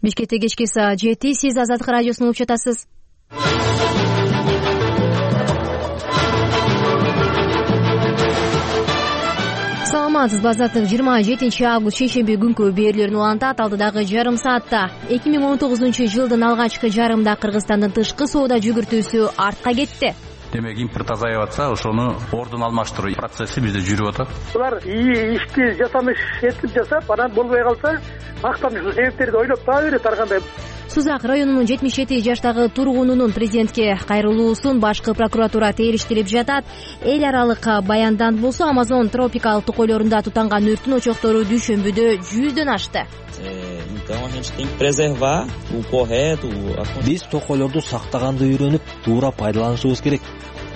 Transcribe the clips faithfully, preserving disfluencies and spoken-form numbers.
Бишкекте кечки саат жети, сиз Азаттык радиосун угуп жатасыз. Саламатсызбы, Азаттык жыйырма жетинчи август шейшемби күнкү берүүлөрүн улантат. Алдыдагы жарым саатта эки миң он тогузунчу жылдын алгачкы жарымда Кыргызстандын тышкы соода жүгүртүүсү артка кетти. Демек импорт азайып атса, ошону ордун алмаштыруу процесси бизде жүрүп атат. Булар ии ишти жасамыш этип жасап, анан болбой калса, мактанычтуу себептерди ойлоп таба берет ар кандай. Сузак районунун жетимиш жети жаштагы тургунунун президентке кайрылуусун башкы прокуратура териштирип жатат. Эл аралык баяндан болсо, Амазон тропикалык токойлорунда тутанган өрттүн очоктору дүйшөмбүдө жүздөн ашты. Биз токойлорду сактаганды үйрөнүп, туура пайдаланышыбыз керек.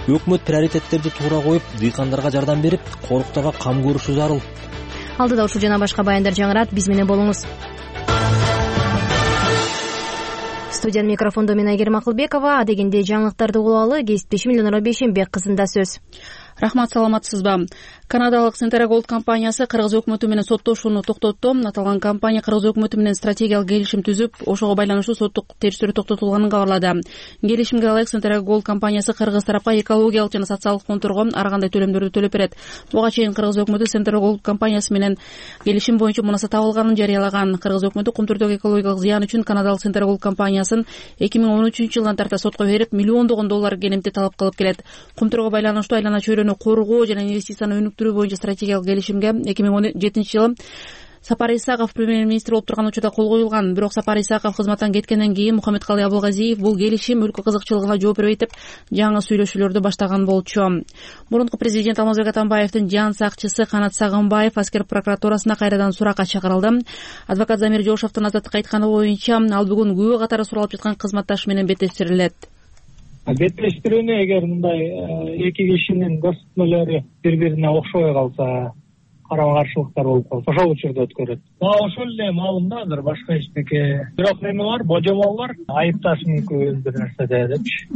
Өкмөт приоритеттерди туура коюп, дыйкандарга жардам берип, коруктарга кам көрүшү зарыл. Алдыда ушул жана башка баяндар жаңырат, биз менен болуңуз. Студиянын микрофондо мен Айгерим Акылбекова. Адегенде жаңылыктарды угулалы, кесиптешим Элнура Бейшенбек кызында сөз. Рахмат, саламатсызбы? Канадалык Centerra компаниясы Кыргыз өкмөтү менен соттошууну токтотту. Аталган компания Кыргыз өкмөтү менен стратегиялык келишим түзүп, ошого байланыштуу соттук териштирүү токтотулганын кабарлады. Келишимге ылайык Centerra компаниясы Кыргыз тарапка экологиялык жана социалдык конторго ар кандай төлөмдөрдү төлөп берет. Буга чейин Кыргыз өкмөтү Centerra компаниясы менен келишим боюнча мунаса табылганын жарыялаган. Кыргыз өкмөтү кум түрдөгү экологиялык зыян үчүн канадалык Centerra компаниясын эки миң он үчүнчү жылдан тарта сотко берип, миллиондогон доллар кенемти талап кылып келет. Кумтурга байланыштуу айлана чөйрөнү коргоо жана инвестицияны өнүктүрүү боюнча стратегиялык келишимге эки миң он жетинчи жылы Сапар Исаков премьер-министр болуп турган учурда кол коюлган. Бирок Сапар Исаков кызматтан кеткенден кийин Мухаммедкалый Абылгазиев бул келишим өлкө кызыкчылыгына жооп бербейт деп жаңы сүйлөшүүлөрдү баштаган болчу. Мурунку президент Алмазбек Атамбаевдин жан сакчысы Канат Сагынбаев аскер прокуратурасына кайрадан суракка чакырылды. Адвокат Замир Жошовдун Азаттыкка айтканы боюнча, ал бүгүн күбө катары суралып жаткан кызматташы менен беттештирилет. Беттештирүүнү эгер мындай эки кишинин көрсөтмөлөрү бири-бирине окшобой калса, карама-каршылыктар болуп калса, ошол учурда өткөрөт. Ошол эле маалымда азыр башка эчтеке. Бирок эме бар, божомол бар, айыпташ мүмкүн бир нерседе депчи.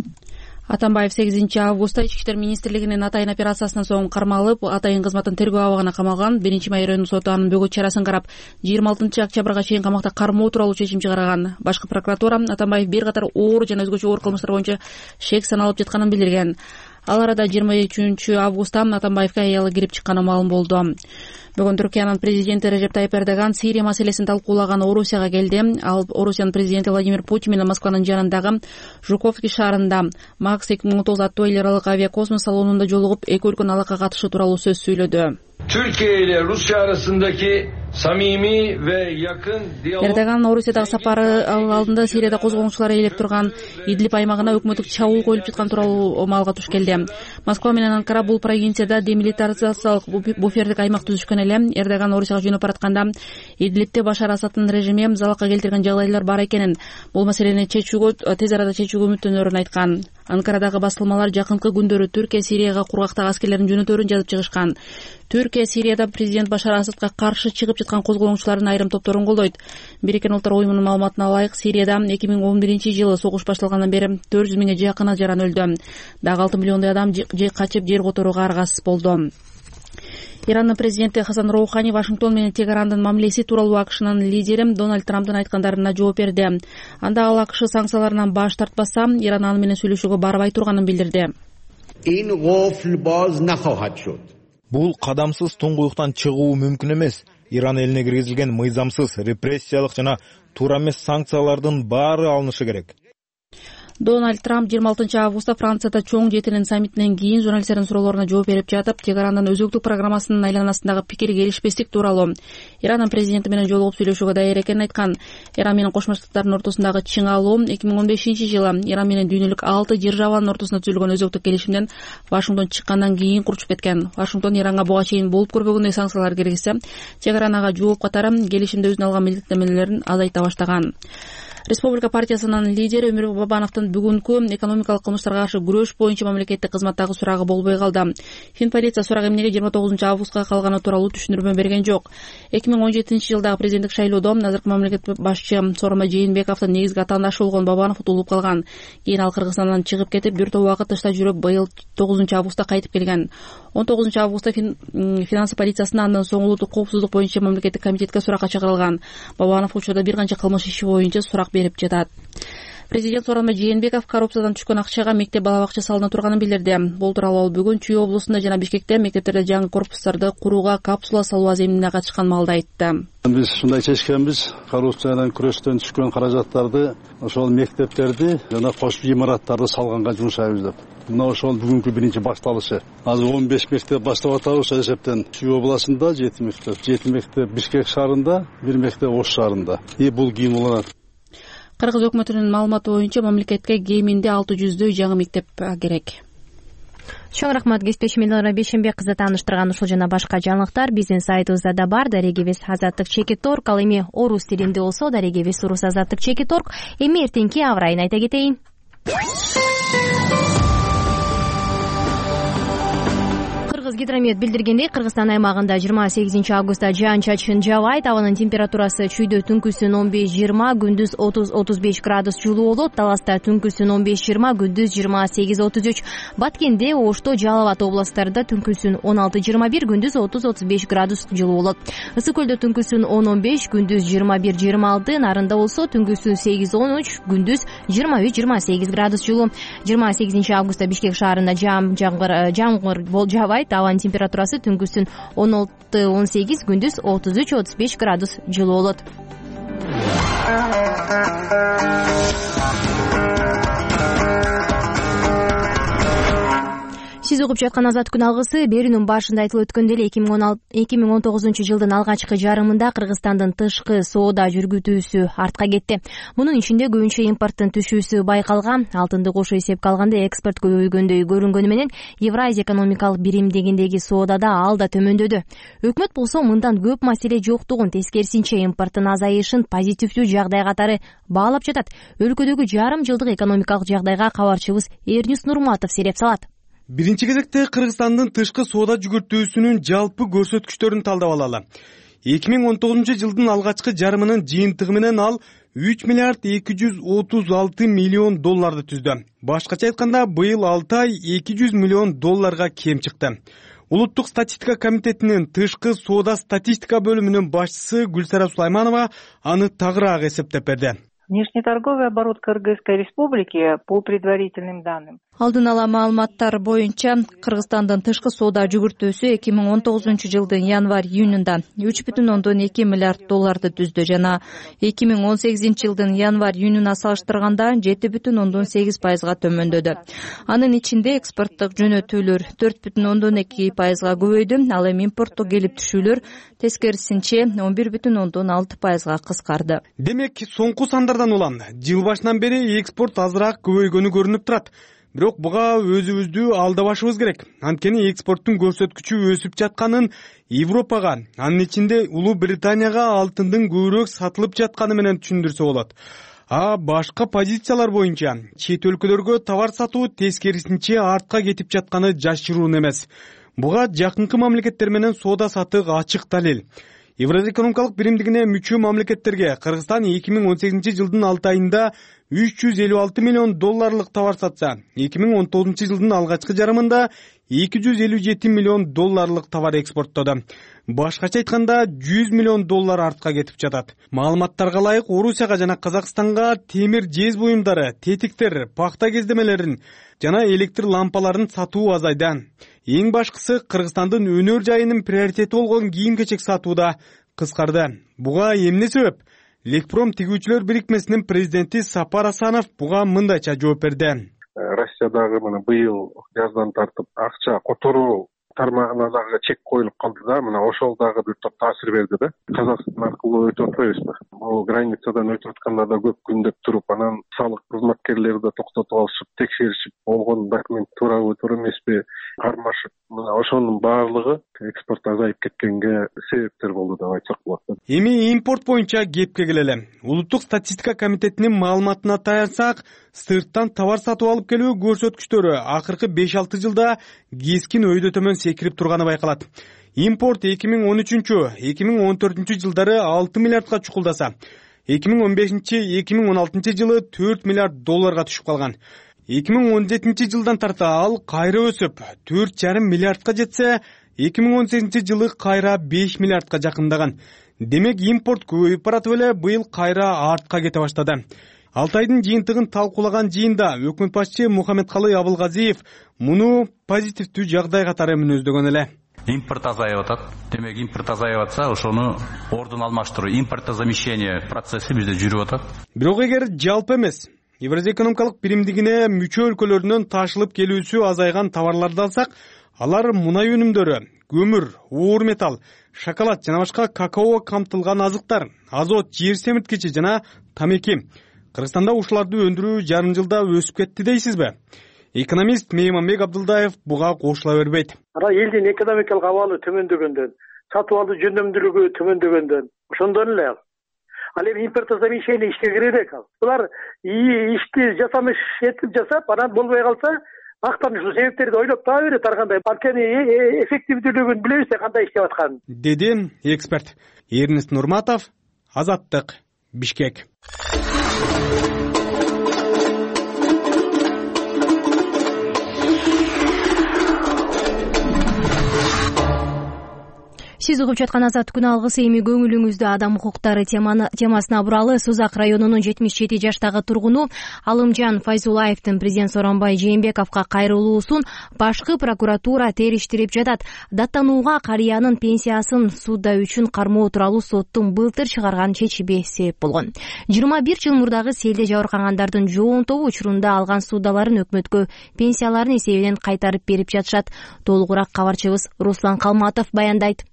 Атамбаев сегизинчи августта Ички иштер министрлигинин Атайын операциясынан соң кармалып, Атайын кызматын тергөө абагына камалган. Биринчи май райондук соту анын бөгөт чарасын карап, жыйырма алтынчы октябрга чейин камакта кармоо тууралуу чечим чыгарган. Башкы прокуратура Атамбаев бир катар оор жана өзгөчө оор кылмыштар боюнча шек саналып жатканын билдирген. Ал арада жыйырма үчүнчү августта Атамбаевге аялы кирип чыкканы маалым болду. Бүгүн Түркиянын президенти Режеп Тайып Эрдоган Сирия маселесин талкуулаган Орусияга келди. Ал Орусиянын президенти Владимир Путин менен Москванын жанындагы Жуковский шаарында Макс эки миң он тогуз аттуу эл аралык авиакосмос салонунда жолугуп, эки өлкөнүн алака катышы тууралуу сөз сүйлөдү. Türkiye ile Rusya arasındaki samimi ve yakın diyalog. Эрдоган Орусиядагы сапары алдында Сирияда козголгончулар ээлеп турган Идлиб аймагына өкмөттүк чабуул коюлуп жаткан тууралуу маалга туш келди. Москва менен Анкара бул провинцияда демилитаризациялык буфердик аймак түзүшкөн эле. Эрдоган Орусияга жөнөп баратканда Идлибте Башар Асадтын режими залалга келтирген жагдайлар бар экенин, бул маселени чечүүгө тез арада чечүүгө үмүттөнөрүн айткан. Анкарадагы басылмалар жакынкы күндөрү Түркия Сирияга кургактагы аскерлерин жөнөтөрүн жазып чыгышкан. Түркия Сирияда президент Башар Асадка каршы чыгып жаткан козголгончулардын айрым топторун колдойт. Бириккен Улуттар уюмунун маалыматына ылайык, Сирияда эки миң он биринчи жылы согуш башталгандан бери төрт жүз миңге жакын ажаран өлдү. Дагы алты миллиондой адам же качып, жер которууга аргасыз болду. Ирандын президенти Хасан Роухани Вашингтон менен Тегерандын мамилеси тууралуу АКШнын лидери Дональд Трамптын айткандарына жооп берди. Анда ал АКШ санкцияларынан баш тартпаса, Иран аны менен сүйлөшүүгө барбай турганын билдирди. Бул кадамсыз туңгуюктан чыгуу мүмкүн эмес. Иран элине киргизилген мыйзамсыз, репрессиялык жана туура эмес санкциялардын баары алынышы керек. Дональд Трамп жыйырма алтынчы августта Францияда чоң жетинин саммитинен кийин журналисттердин суроолоруна жооп берип жатып, Тегерандын өзөктүк программасынын айланасындагы пикир келишпестик тууралуу Иранын президенти менен жолугуп сүйлөшүүгө даяр экенин айткан. Иран менен Кошмо Штаттардын ортосундагы чыңалуу эки миң он бешинчи жылы Иран менен дүйнөлүк алты державанын ортосунда түзүлгөн өзөктүк келишимден Вашингтон чыккандан кийин курчуп кеткен. Вашингтон Иранга буга чейин болуп көрбөгөндөй санкциялар киргизсе, Тегеран ага жооп катары келишимде өзүнө алган милдеттенмелерин азайта баштаган. Республика партиясынын лидери Өмүрбек Бабановдун бүгүнкү экономикалык кылмыштарга каршы күрөш боюнча мамлекеттик кызматтагы сурагы болбой калды. Фин полиция сурак эмнеге жыйырма тогузунчу августка калганы тууралуу түшүндүрмө берген жок. эки миң он жетинчи жылдагы президенттик шайлоодо азыркы мамлекеттик башчы Сооронбай Жээнбековдун негизги атаандашы болгон Бабанов утулуп калган. Кийин ал Кыргызстандан чыгып кетип, бир топ убакыт тышта жүрүп, быйыл тогузунчу августта кайтып келген. он тогузунчу августта финансы полициясына андан соң улуттук коопсуздук боюнча мамлекеттик комитетке суракка чакырылган. Бабанов учурда бир канча кылмыш иши боюнча сурак берип жатат. Президент Сооронбай Жээнбеков коррупциядан түшкөн акчага мектеп бала бакча салына турганын билдирди. Бул тууралуу ал бүгүн Чүй облусунда жана Бишкекте мектептерде жаңы корпустарды курууга капсула салуу аземине катышкан маалда айтты. Биз ушундай чечкенбиз, коррупциядан күрөштөн түшкөн каражаттарды ошол мектептерди жана кошмо имараттарды салганга жумшайбыз деп. Мына ошол бүгүнкү биринчи башталышы. Азыр он беш мектеп баштап атабыз эсептен. Чүй областында жети мектеп, жети мектеп Бишкек шаарында, бир мектеп Ош шаарында. И бул кийин уланат. Кыргыз өкмөтүнүн маалыматы боюнча мамлекетке кеминде алты жүздөй жаңы мектеп керек. Чоң рахмат кесиптешим Элнара Бейшенбек кызы тааныштырган ушул жана башка жаңылыктар биздин сайтыбызда да бар. Дарегебиз азаттык чекит орг, ал эми орус тилинде болсо дарегебиз урус азаттык чекит орг. Эми эртеңки аба ырайын айта кетейин. Кыргызгидромет билдиргендей, Кыргызстан аймагында жыйырма сегизинчи августта жаан-чачын жаабайт. Абанын температурасы чүйдө түнкүсүн он беш жыйырма, күндүз отуз отуз беш градус жылуу болот. Таласта түнкүсүн он беш жыйырма, күндүз жыйырма сегиз отуз үч. Баткенде, Ошто, Жалал Абад областтарында түнкүсүн он алты жыйырма бир, күндүз отуз отуз беш градус жылуу болот. Ысык көлдө түнкүсүн он он беш, күндүз жыйырма бир жыйырма алты, Нарында болсо түнкүсүн сегиз он үч, күндүз жыйырма үч жыйырма сегиз градус жылуу. жыйырма сегизинчи августта Бишкек шаарында жаам жамгыр жамгыр жаабайт. Абанын температурасы түнкүсүн он алты он сегиз, күндүз отуз үч отуз беш градус жылуу болот. Сиз угуп жаткан Азат күн алгысы берүүнүн башында айтылып өткөндөй эле эки миң он тогузунчу жылдын алгачкы жарымында Кыргызстандын тышкы соода жүргүтүүсү артка кетти. Мунун ичинде көбүнчө импорттун түшүүсү байкалган. Алтынды кошо эсепке алганда экспорт көбөйгөндөй көрүнгөнү менен Евразия экономикалык биримдигиндеги соодада ал да төмөндөдү. Өкмөт болсо мындан көп маселе жоктугун, тескерисинче импорттун азайышын позитивдүү жагдай катары баалап жатат. Өлкөдөгү жарым жылдык экономикалык жагдайга кабарчыбыз Эрнис Нурматов сереп салат. Биринчи кезекте Кыргызстандын тышкы соода жүгүртүүсүнүн жалпы көрсөткүчтөрүн талдап алалы. эки миң он тогузунчу жылдын алгачкы жарымынын жыйынтыгы менен ал үч миллиард эки жүз отуз алты миллион долларды түздү. Башкача айтканда, быйыл алты ай эки жүз миллион долларга кем чыкты. Улуттук статистика комитетинин тышкы соода статистика бөлүмүнүн башчысы Гүлсара Сулайманова аны тагыраак эсептеп берди. Внешнеторговый оборот Кыргызской республики по предварительным данным. Алдын ала маалыматтар боюнча Кыргызстандын тышкы соода жүгүртүүсү эки миң он тогузунчу жылдын январь-июнунда үч бүтүн ондон эки миллиард долларды түздү жана эки миң он сегизинчи жылдын январь-июнуна салыштырганда жети бүтүн ондон сегиз пайызга төмөндөдү. Анын ичинде экспорттук жөнөтүүлөр төрт бүтүн ондон эки пайызга көбөйдү, ал эми импорттук келип түшүүлөр тескерисинче он бир бүтүн ондон алты пайызга кыскарды. Демек, соңку сандардан улам жыл башынан бери экспорт азыраак көбөйгөнү көрүнүп турат. Бирок буга өзүбүздү алдабашыбыз керек. Анткени экспорттун көрсөткүчү өсүп жатканын Европага, анын ичинде Улуу Британияга алтындын көбүрөөк сатылып жатканы менен түшүндүрсө болот. А башка позициялар боюнча чет өлкөлөргө товар сатуу тескерисинче артка кетип жатканы жашыруун эмес. Буга жакынкы мамлекеттер менен соода саттык ачык далил. Евразия экономикалык биримдигине мүчө мамлекеттерге Кыргызстан эки миң он сегизинчи жылдын алты айында үч жүз элүү алты миллион долларлык товар сатса, эки миң он тогузунчу жылдын алгачкы жарымында эки жүз элүү жети миллион долларлык товар экспорттоду. Башкача айтканда жүз миллион доллар артка кетип жатат. Маалыматтарга ылайык Орусияга жана Казакстанга темир жез буюмдары, тетиктер, пахта кездемелерин жана электр лампаларын сатуу азайды. Эң башкысы Кыргызстандын өнөр жайынын приоритети болгон кийим-кечек сатууда кыскарды. Буга эмне себеп? Лекпром тигүүчүлөр бирикмесинин президенти Сапар Асанов буга мындайча жооп берди. Россиядагы мына быйыл жаздан тартып акча которуу тармагына дагы чек коюлуп калды да, мына ошол дагы бир топ таасир берди да. Казакстан аркылуу өтүп атпайбызбы? Бул границадан өтүп атканда да көп күндөп туруп, анан салык кызматкерлери да токтотуп алышып, текшеришип, болгон документ туурабы, туура эмеспи кармашып, мына ошонун баардыгы экспорт азайып кеткенге себептер болду деп айтсак болот. Эми импорт боюнча кепке келели. Улуттук статистика комитетинин маалыматына таянсак, сырттан товар сатып алып келүү көрсөткүчтөрү акыркы беш алты жылда кескин өйдө төмөн секирип турганы байкалат. Импорт эки миң он үчүнчү — эки миң он төртүнчү жылдары алты миллиардка чукулдаса, эки миң он бешинчи — эки миң он алтынчы жылы төрт миллиард долларга түшүп калган. эки миң он жетинчи жылдан тарта ал кайра өсүп төрт жарым миллиардка жетсе, эки миң он сегизинчи жылы кайра беш миллиардка жакындаган. Демек импорт көбөйүп баратып эле быйыл кайра артка кете баштады. Алтайдын жыйынтыгын талкуулаган жыйында өкмөт башчы Мухаммедкалый Абылгазиев муну позитивдүү жагдай катары мүнөздөгөн эле. Импорт азайып атат. Демек импорт азайып атса, ошону ордун алмаштыруу, импортозамещение процесси бизде жүрүп атат. Бирок эгер жалпы эмес, Евразия экономикалык биримдигине мүчө өлкөлөрүнөн ташылып келүүсү азайган товарларды алсак, алар мунай өнүмдөрү, көмүр, оор металл, шоколад жана башка какао камтылган азыктар, азот, жер семирткичи жана тамеки. Кыргызстанда ушуларды өндүрүү жарым жылда өсүп кетти дейсизби? Экономист Мейманбек Абдылдаев буга кошула бербейт. Ара элдин экономикалык абалы төмөндөгөндөн, сатып алуу жөндөмдүүлүгү төмөндөгөндөн, ошондон эле ал эми импортозамещение ишке кире элек ал. Булар ишти жасамыш этип жасап, анан болбой калса, актан ушул себептерди ойлоп таба берет ар кандай. Анткени эффективдүүлүгүн билебиз да кандай иштеп атканын. Деди эксперт. Эрнест Нурматов, Азаттык, Бишкек. Сиз угуп жаткан Азат күн алгысы эми көңүлүңүздү адам укуктары темасына буралы. Сузак районунун жетимиш жети жаштагы тургуну Алымжан Файзуллаевдин президент Сооронбай Жээнбековго кайрылуусун башкы прокуратура териштирип жатат. Даттанууга карыянын пенсиясын суда үчүн кармоо тууралуу соттун былтыр чыгарган чечими себеп болгон. жыйырма бир жыл мурдагы селде жабыркагандардын жоон тобу учурунда алган судаларын өкмөткө пенсияларын эсебинен кайтарып берип жатышат. Толугураак кабарчыбыз Руслан Калматов баяндайт.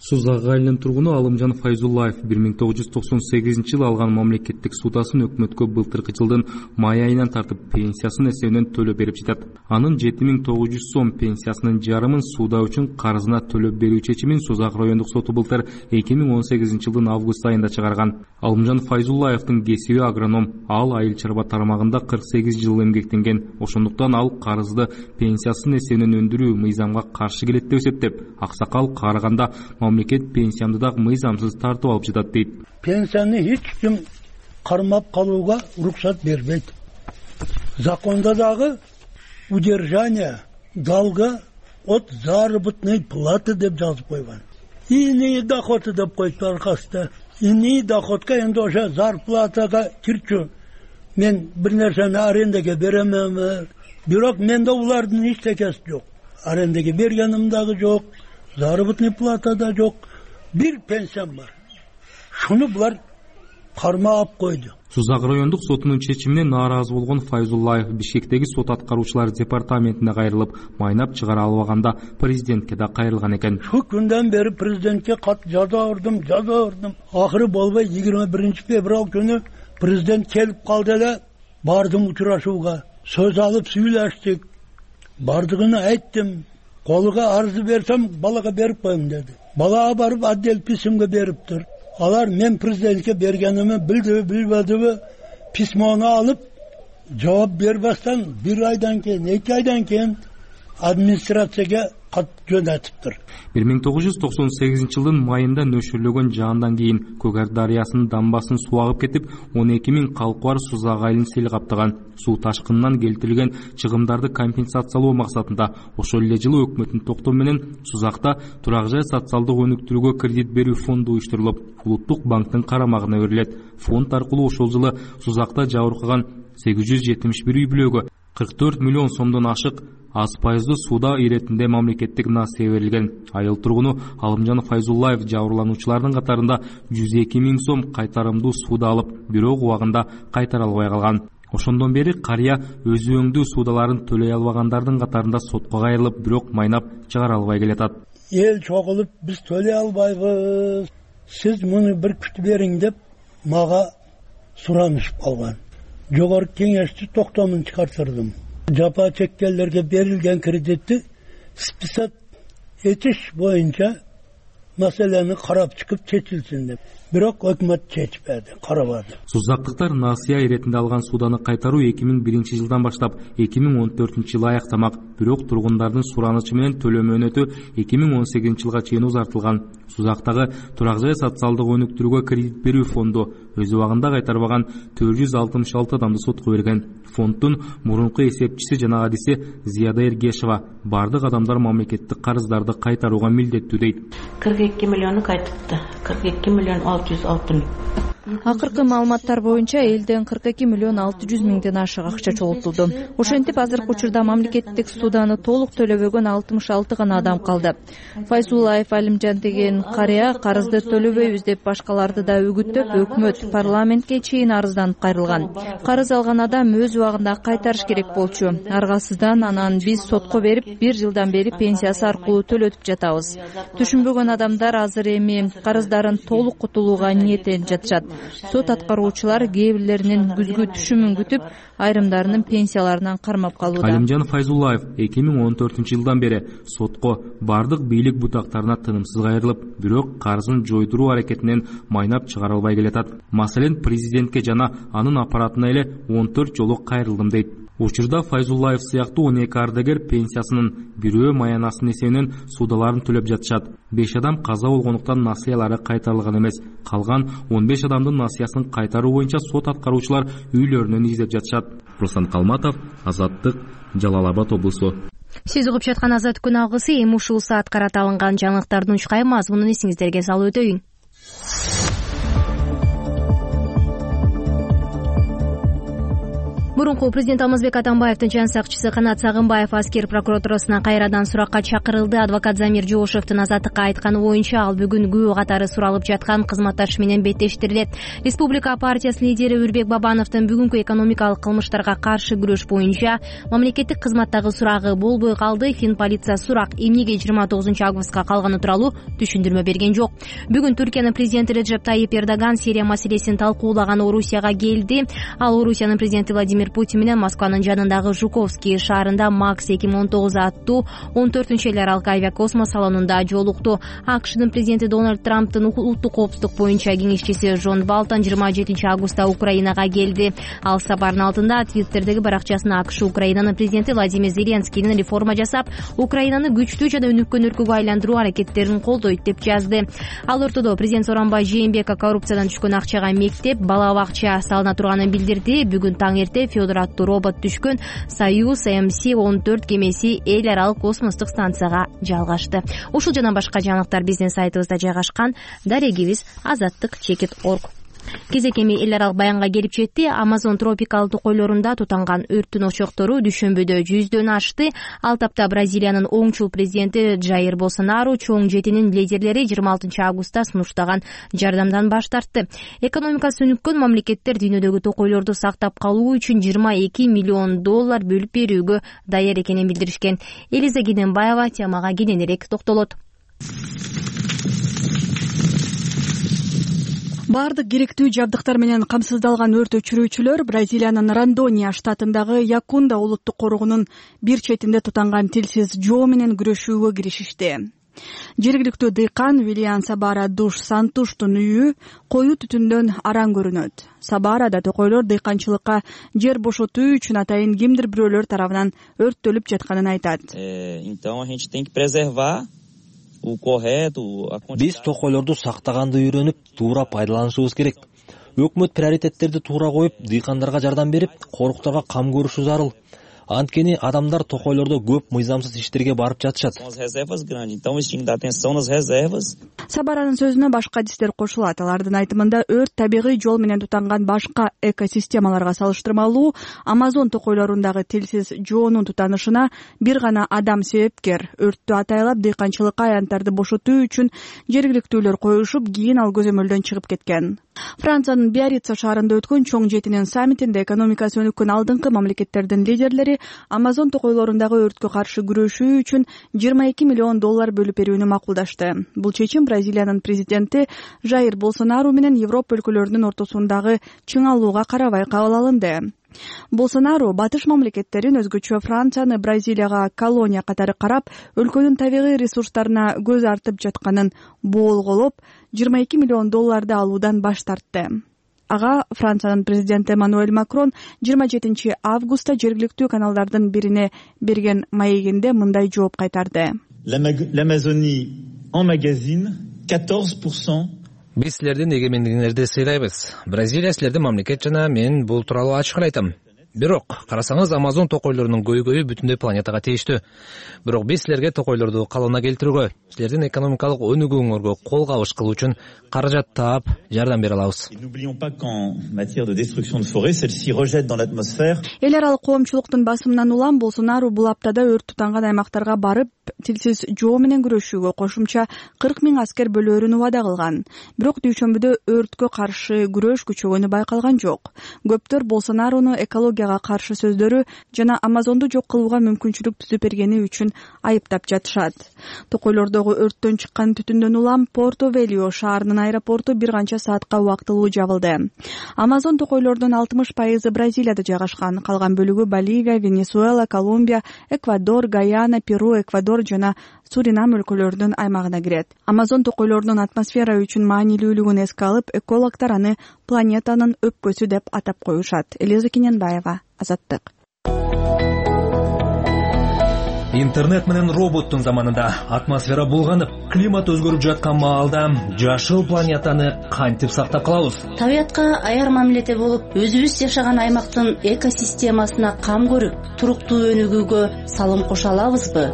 Сузак айылынын тургуну Алымжан Файзуллаев бир миң тогуз жүз токсон сегизинчи жылы алган мамлекеттик судасын өкмөткө былтыркы жылдын май айынан тартып пенсиясын эсебинен төлөп берип жатат. Анын жети миң тогуз жүз сом пенсиясынын жарымын суда үчүн карызына төлөп берүү чечимин Сузак райондук соту былтыр эки миң он сегизинчи жылдын август айында чыгарган. Алымжан Файзуллаевдин кесиби агроном, ал айыл чарба тармагында кырк сегиз жыл эмгектенген. Ошондуктан ал карызды пенсиясынын эсебинен өндүрүү мыйзамга каршы келет деп эсептеп, аксакал карыганда мамлекет пенсиямды дагы мыйзамсыз тартып алып жатат дейт. Пенсияны эч ким кармап калууга уруксат бербейт. Законда дагы удержание долга от заработной платы деп жазып койгон. Иные доходы деп коюп аркасында. Иные доходка энди ошо зарплатага кирчү. Мен бир нерсени арендага беремем. Бирок менде улардын эчтекеси жок. Арендага бергеним дагы жок. Заработный плата да жок. Бир пенсиям бар. Шуну булар кармап койду. Сузак райондук сотунун чечимине нааразы болгон Файзуллаев Бишкектеги сот аткаруучулар департаментине кайрылып, майнап чыгара албаганда президентке да кайрылган экен. Шу күндөн бери президентке кат жаза урдум, жаза урдум. Акыры болбой жыйырма биринчи февраль күнү президент келип калды эле. Бардым учурашууга. Сөз алып сүйлөштүк. Бардыгын айттым. Колуга арызы берсем, балага берип коем деди. Балага барып отдел письмге бериптир. Алар мен президентке бергеними билдиби, билбедиби, письмону алып, жооп бербестен бир айдан кийин, эки айдан кийин администрацияга кат жөнөтүптүр. бир миң тогуз жүз токсон сегизинчи жылдын майында нөшөрлөгөн жаандан кийин Көгөр дарыясынын дамбасын суу агып кетип, он эки миң калкы бар Сузак айылын сел каптаган. Суу ташкынынан келтирилген чыгымдарды компенсациялоо максатында ошол эле жылы өкмөттүн токтому менен Сузакта турак жай социалдык өнүктүрүүгө кредит берүү фонду уюштурулуп, Улуттук банктын карамагына берилет. Фонд аркылуу ошол жылы Сузакта жабыркаган сегиз жүз жетимиш бир үй бүлөгө кырк төрт миллион сомдон ашык аз пайыздуу сууda иретинде мамлекеттик насыя берилген. Айыл тургуну Алымжан Файзуллаев жабырлануучулардын катарында жүз эки миң сом кайтарымдуу сууда алып, бирок убагында кайтара албай калган. Ошондон бери карыя өзү өңдүү суудаларын төлөй албагандардын катарында сотко кайрылып, бирок майнап чыгара албай келатат. Эл чогулуп, биз төлөй албайбыз. Сиз муну бир күтүп бериң деп мага суранышып калган. Жогорку кеңешти токтомун чыгартырдым. Жапа чеккендерге берилген кредитти список этиш боюнча маселени карап чыгып чечилсин деп. Бирок өкмөт чечпеди, карабады. Сузактыктар насыя иретинде алган сууданы кайтаруу эки миң биринчи жылдан баштап эки миң он төртүнчү жылы аяктамак. Бирок тургундардын суранычы менен төлөө мөөнөтү эки миң он сегизинчи жылга чейин узартылган. Сузактагы турак жай социалдык өнүктүрүүгө кредит берүү фонду өз убагында кайтарбаган төрт жүз алтымыш алты адамды сотко берген. Фонддун мурунку эсепчиси жана кадиси Зияда Эргешева бардык адамдар мамлекеттик карыздарды кайтарууга милдеттүү дейт. кырк эки миллиону кайтыпты. кырк эки миллион алты жүз алты миң. Акыркы маалыматтар боюнча элден кырк эки миллион алты жүз миңден ашык акча чогултулду. Ошентип азыркы учурда мамлекеттик судааны толук төлөбөгөн алтымыш алты гана адам калды. Файзуллаев Алимжан деген карыя карызды төлөбөйбүз деп башкаларды да үгүттөп, өкмөт парламентке чейин арызданып кайрылган. Карыз алган адам өз убагында кайтарыш керек болчу. Аргасыздан анан биз сотко берип, бир жылдан бери пенсиясы аркылуу төлөтүп жатабыз. Түшүнбөгөн адамдар азыр эми карыздарын толук кутулууга ниеттенип жатышат. Сот аткаруучулар кээ бирлеринин күзгү түшүмүн күтүп, айрымдарынын пенсияларынан кармап калууда. Алимжан Файзуллаев эки миң он төртүнчү жылдан бери сотко бардык бийлик бутактарына тынымсыз кайрылып, бирок карызын жойдуруу аракетинен майнап чыгара албай келатат. Маселен, президентке жана анын аппаратына эле он төрт жолу кайрылдым дейт. Учурда Файзуллаев сыяктуу он эки ардагер пенсиясынын бирөө маянасынын эсебинен судаларын төлөп жатышат. беш адам каза болгондуктан насыялары кайтарылган эмес. Калган он беш адамдын насыясын кайтаруу боюнча сот аткаруучулар үйлөрүнөн издеп жатышат. Руслан Калматов, Азаттык, Жалал Абад облусу. Сиз угуп жаткан Азат күн алгысы эми ушул саат карата алынган жаңылыктардын учкай мазмунун эсиңиздерге салып өтөйүн. Мурунку президент Алмазбек Атамбаевдин жан сакчысы Канат Сагынбаев аскер прокуратурасына кайрадан суракка чакырылды. Адвокат Замир Жоошевдун Азаттыкка айтканы боюнча, ал бүгүн күбө катары суралып жаткан кызматташы менен беттештирилет. Республика партиясынын лидери Үрбек Бабановдун бүгүнкү экономикалык кылмыштарга каршы күрөш боюнча мамлекеттик кызматтагы сурагы болбой калды. Фин полиция сурак эмнеге жыйырма тогузунчу августка калганы тууралуу түшүндүрмө берген жок. Бүгүн Түркиянын президенти Реджеп Тайип Эрдоган Сирия маселесин талкуулаган Орусияга келди. Ал Орусиянын президенти Владимир Путин менен Москванын жанындагы Жуковский шаарында Макс эки миң он тогуз аттуу он төртүнчү эл аралык авиакосмос салонунда жолукту. АКШнын президенти Дональд Трамптын улуттук коопсуздук боюнча кеңешчиси Джон Балтон жыйырма жетинчи августта Украинага келди. Ал сапардын алдында Твиттердеги баракчасына АКШ Украинанын президенти Владимир Зеленскийдин реформа жасап, Украинаны күчтүү жана өнүккөн өлкөгө айландыруу аракеттерин колдойт деп жазды. Ал ортодо президент Сооронбай Жээнбеков коррупциядан түшкөн акчага мектеп, бала бакча салына турганын билдирди. Бүгүн таң эрте Федор аттуу робот түшкөн Союз эм си он төрт кемеси эл аралык космостук станцияга жалгашты. Ушул жана башка жаңылыктар биздин сайтыбызда жайгашкан. Дарегибиз азаттык чекит точка орг. Кезек эми эл аралык баянга келип жетти. Амазон тропикалдуу токойлорунда тутанган өрттүн очоктору дүйшөмбүдө жүздөн ашты. Ал тапта Бразилиянын оңчул президенти Жаир Болсонару чоң жетинин лидерлери жыйырма алтынчы августта сунуштаган жардамдан баш тартты. Экономикасы өнүккөн мамлекеттер дүйнөдөгү токойлорду сактап калуу үчүн жыйырма эки миллион доллар бөлүп берүүгө даяр экенин билдиришкен. Элиза Кененбаева темага кененирээк токтолот. Бардык керектүү жабдыктар менен камсыздалган өрт өчүрүүчүлөр Бразилиянын Рондония штатындагы Якунда улуттук коргоонунун бир четинде тутанган тилсиз жоо менен күрөшүүгө киришишти. Жергиликтүү дыйкан Вилиан Сабара Душ Сантуштун үйү коюу түтүндөн араң көрүнөт. Сабарада токойлор дыйканчылыкка жер бошотуу үчүн атайын кимдир бирөөлөр тарабынан өрттөлүп жатканын айтат. Биз токойлорду сактаганды үйрөнүп, туура пайдаланышыбыз керек. Өкмөт приоритеттерди туура коюп, дыйкандарга жардам берип, коруктарга кам көрүшү зарыл. Анткени адамдар токойлордо көп мыйзамсыз иштерге барып жатышат. Сабаранын сөзүнө башка адистер кошулат. Алардын айтымында өрт табигый жол менен тутанган башка экосистемаларга салыштырмалуу Амазон токойлорундагы тилсиз жоонун тутанышына бир гана адам себепкер. Өрттү атайлап дыйканчылыкка аянттарды бошотуу үчүн жергиликтүүлөр коюшуп, кийин ал көзөмөлдөн чыгып кеткен. Франциянын Биаррица шаарында өткөн чоң жетинин саммитинде экономикасы өнүккөн алдыңкы мамлекеттердин лидерлери Амазон токойлорундагы өрткө каршы күрөшүү үчүн жыйырма эки миллион доллар бөлүп берүүнү макулдашты. Бул чечим Бразилиянын президенти Жаир Болсонару менен Европа өлкөлөрүнүн ортосундагы чыңалууга карабай кабыл алынды. Болсонару батыш мамлекеттерин, өзгөчө Францияны Бразилияга колония катары карап, өлкөнүн табигый ресурстарына көз артып жатканын боолголоп, жыйырма эки миллион долларды алуудан баш тартты. Ага Франциянын президенти Эммануэль Макрон жыйырма жетинчи августта жергиликтүү каналдардын бирине берген маегинде мындай жооп кайтарды. L'Amazonie emmagasine quatorze pour cent Биз силердин эгемендигиңерди сыйлайбыз. Бразилия силердин мамлекет жана мен бул тууралуу ачык эле айтам. Бирок карасаңыз Амазон токойлорунун көйгөйү бүтүндөй планетага тийиштүү. Бирок биз силерге токойлорду калыбына келтирүүгө, силердин экономикалык өнүгүүңөргө кол кабыш кылуу үчүн каражат таап жардам бере алабыз. Эл аралык коомчулуктун басымынан улам Болсонару бул аптада өрт тутанган аймактарга барып, тилсиз жоо менен күрөшүүгө кошумча кырк миң аскер бөлөөрүн убада кылган. Бирок дүйшөмбүдө өрткө каршы күрөш күчөгөнү байкалган жок. Көптөр Болсонаруну экологияга каршы сөздөрү жана Амазонду жок кылууга мүмкүнчүлүк түзүп бергени үчүн айыптап жатышат. Токойлордогу өрттөн чыккан түтүндөн улам Порто-Велио шаарынын аэропорту бир канча саатка убактылуу жабылды. Амазон токойлордун алтымыш пайызы Бразилияда жайгашкан, калган бөлүгү Боливия, Венесуэла, Колумбия, Эквадор, Гаяна, Перу, Эквадор жана Суринам өлкөлөрүнүн аймагына кирет. Амазон токойлордун атмосфера үчүн маанилүүлүгүн эске алып, экологдор аны планетанын өпкөсү деп атап коюшат. Элиза Кененбаева, Азаттык. Интернет менен роботтун заманында атмосфера булганып, климат өзгөрүп жаткан маалда жашыл планетаны кантип сактап калабыз? Табиятка аяр мамиледе болуп, өзүбүз жашаган аймактын экосистемасына кам көрүп, туруктуу өнүгүүгө салым кошо алабызбы?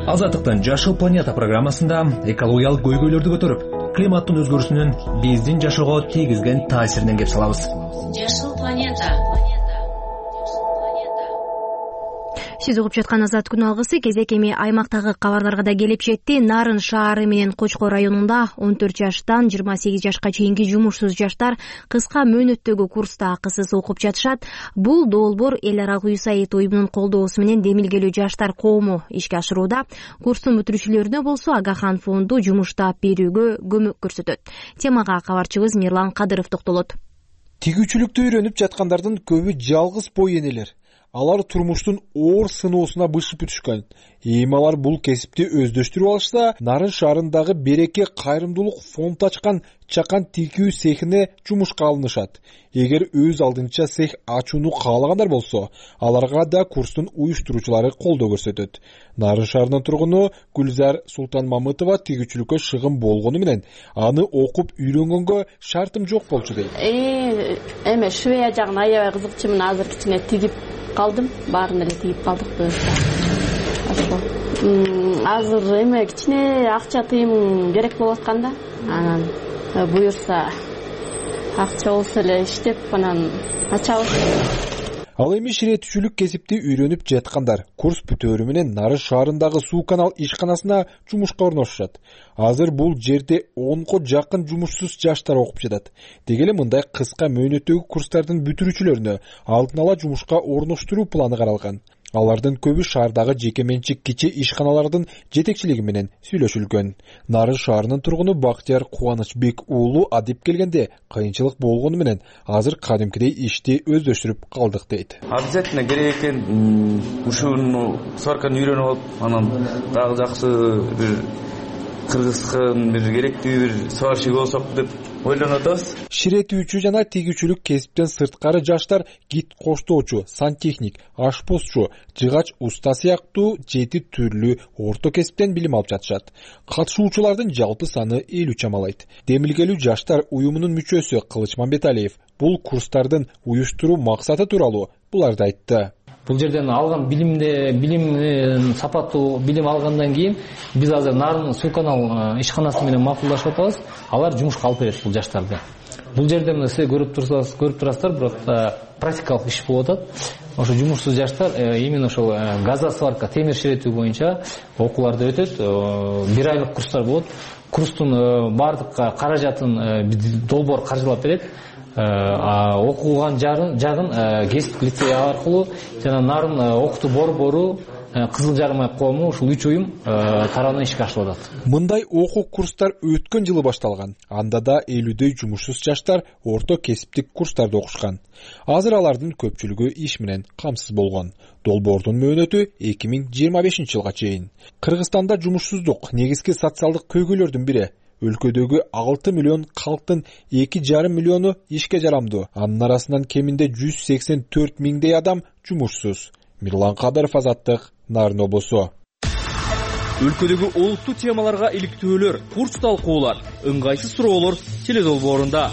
Азаттыктын Жашыл планета программасында экологиялык көйгөйлөрдү көтөрүп, климаттын өзгөрүшүнүн биздин жашоого тийгизген таасиринен кеп салабыз. Жашыл планета. Сиз угуп жаткан Азат күн алгысы кезек эми аймактагы кабарларга да келип жетти. Нарын шаары менен Кочкор районунда он төрт жаштан жыйырма сегиз жашка чейинки жумушсуз жаштар кыска мөөнөттөгү курста акысыз окуп жатышат. Бул долбоор эл аралык ЮСАИД уюмунун колдоосу менен демилгелүү жаштар коому ишке ашырууда. Курстун бүтүрүүчүлөрүнө болсо Агахан фонду жумуш таап берүүгө көмөк көрсөтөт. Темага кабарчыбыз Мирлан Кадыров токтолот. Тигүүчүлүктү үйрөнүп жаткандардын көбү жалгыз бой энелер. Алар турмуштун оор сыноосуна бышып өтүшкөн. Эми алар бул кесипти өздөштүрүп алышса, Нарын шаарындагы Береке кайрымдуулук фонд ачкан чакан тигүү цехине жумушка алынышат. Эгер өз алдынча цех ачууну каалагандар болсо, аларга да курстун уюштуруучулары колдоо көрсөтөт. Нарын шаарынын тургуну Гүлзар Султанмамытова тигүүчүлүккө шыгым болгону менен аны окуп үйрөнгөнгө шартым жок болчу дейт. Э, эме швея жагын аябай кызыкчумун, азыр кичине тигип калдым, баарын эле тигип калдык буюрса. Азыр эме кичине акча тыйым керек болуп атканда, анан буюрса акча болсо эле иштеп анан ачабыз. Ал эми ширетүүчүлүк кесипти үйрөнүп жаткандар курс бүтөөрү менен Нарын шаарындагы суу канал ишканасына жумушка орношушат. Азыр бул жерде онго жакын жумушсуз жаштар окуп жатат. Деги эле мындай кыска мөөнөттөгү курстардын бүтүрүүчүлөрүнө алдын ала жумушка орноштуруу планы каралган. Алардын көбү шаардагы жеке менчик кичи ишканалардын жетекчилиги менен сүйлөшүлгөн. Нарын шаарынын тургуну Бактияр Кубанычбек уулу адип келгенде кыйынчылык болгону менен азыр кадимкидей ишти өздөштүрүп калдык дейт. Обязательно керек экен ушуну сварканы үйрөнүп алып, анан дагы жакшы бир кыргызкын бир керектүү бир сварщик болсок деп ойлонуп атабыз. Ширетүүчү жана тигүүчүлүк кесиптен сырткары жаштар гид коштоочу, сантехник, ашпозчу, жыгач уста сыяктуу жети түрлүү орто кесиптен билим алып жатышат. Катышуучулардын жалпы саны элүү чамалайт. Демилгелүү жаштар уюмунун мүчөсү Кылыч Мамбеталиев бул курстардын уюштуруу максаты тууралуу буларды айтты. Бул жерден алган билимде билим сапаттуу билим алгандан кийин биз азыр Нарын суу канал ишканасы менен макулдашып атабыз. Алар жумушка алып берет бул жаштарды. Бул жерде мына сиз көрүп турсаңыз, көрүп турасыздар, бирок практикалык иш болуп атат. Ошо жумушсуз жаштар именно ошол газосварка, темир ширетүү боюнча окууларды өтөт. Бир айлык курстар болот. Курстун бардык каражатын долбоор каржылап берет. Окуган жагын кесиптик лицей аркылуу жана Нарын окутуу борбору, Кызыл Жарым коому ушул үч уюм тарабынан ишке ашырып атат. Мындай окуу курстар өткөн жылы башталган. Анда да элүүдөй жумушсуз жаштар орто кесиптик курстарда окушкан. Азыр алардын көпчүлүгү иш менен камсыз болгон. Долбоордун мөөнөтү эки миң жыйырма бешинчи жылга чейин. Кыргызстанда жумушсуздук негизги социалдык көйгөйлөрдүн бири. Өлкөдөгү алты миллион калктын эки жарым миллиону ишке жарамдуу. Анын арасынан кеминде жүз сексен төрт миңдей адам жумушсуз. Мирлан Кадыров, Азаттык, Нарын облусу. өлкөдөгү олуттуу темаларга иликтөөлөр, курс талкуулар, ыңгайсыз суроолор теледолбоорунда.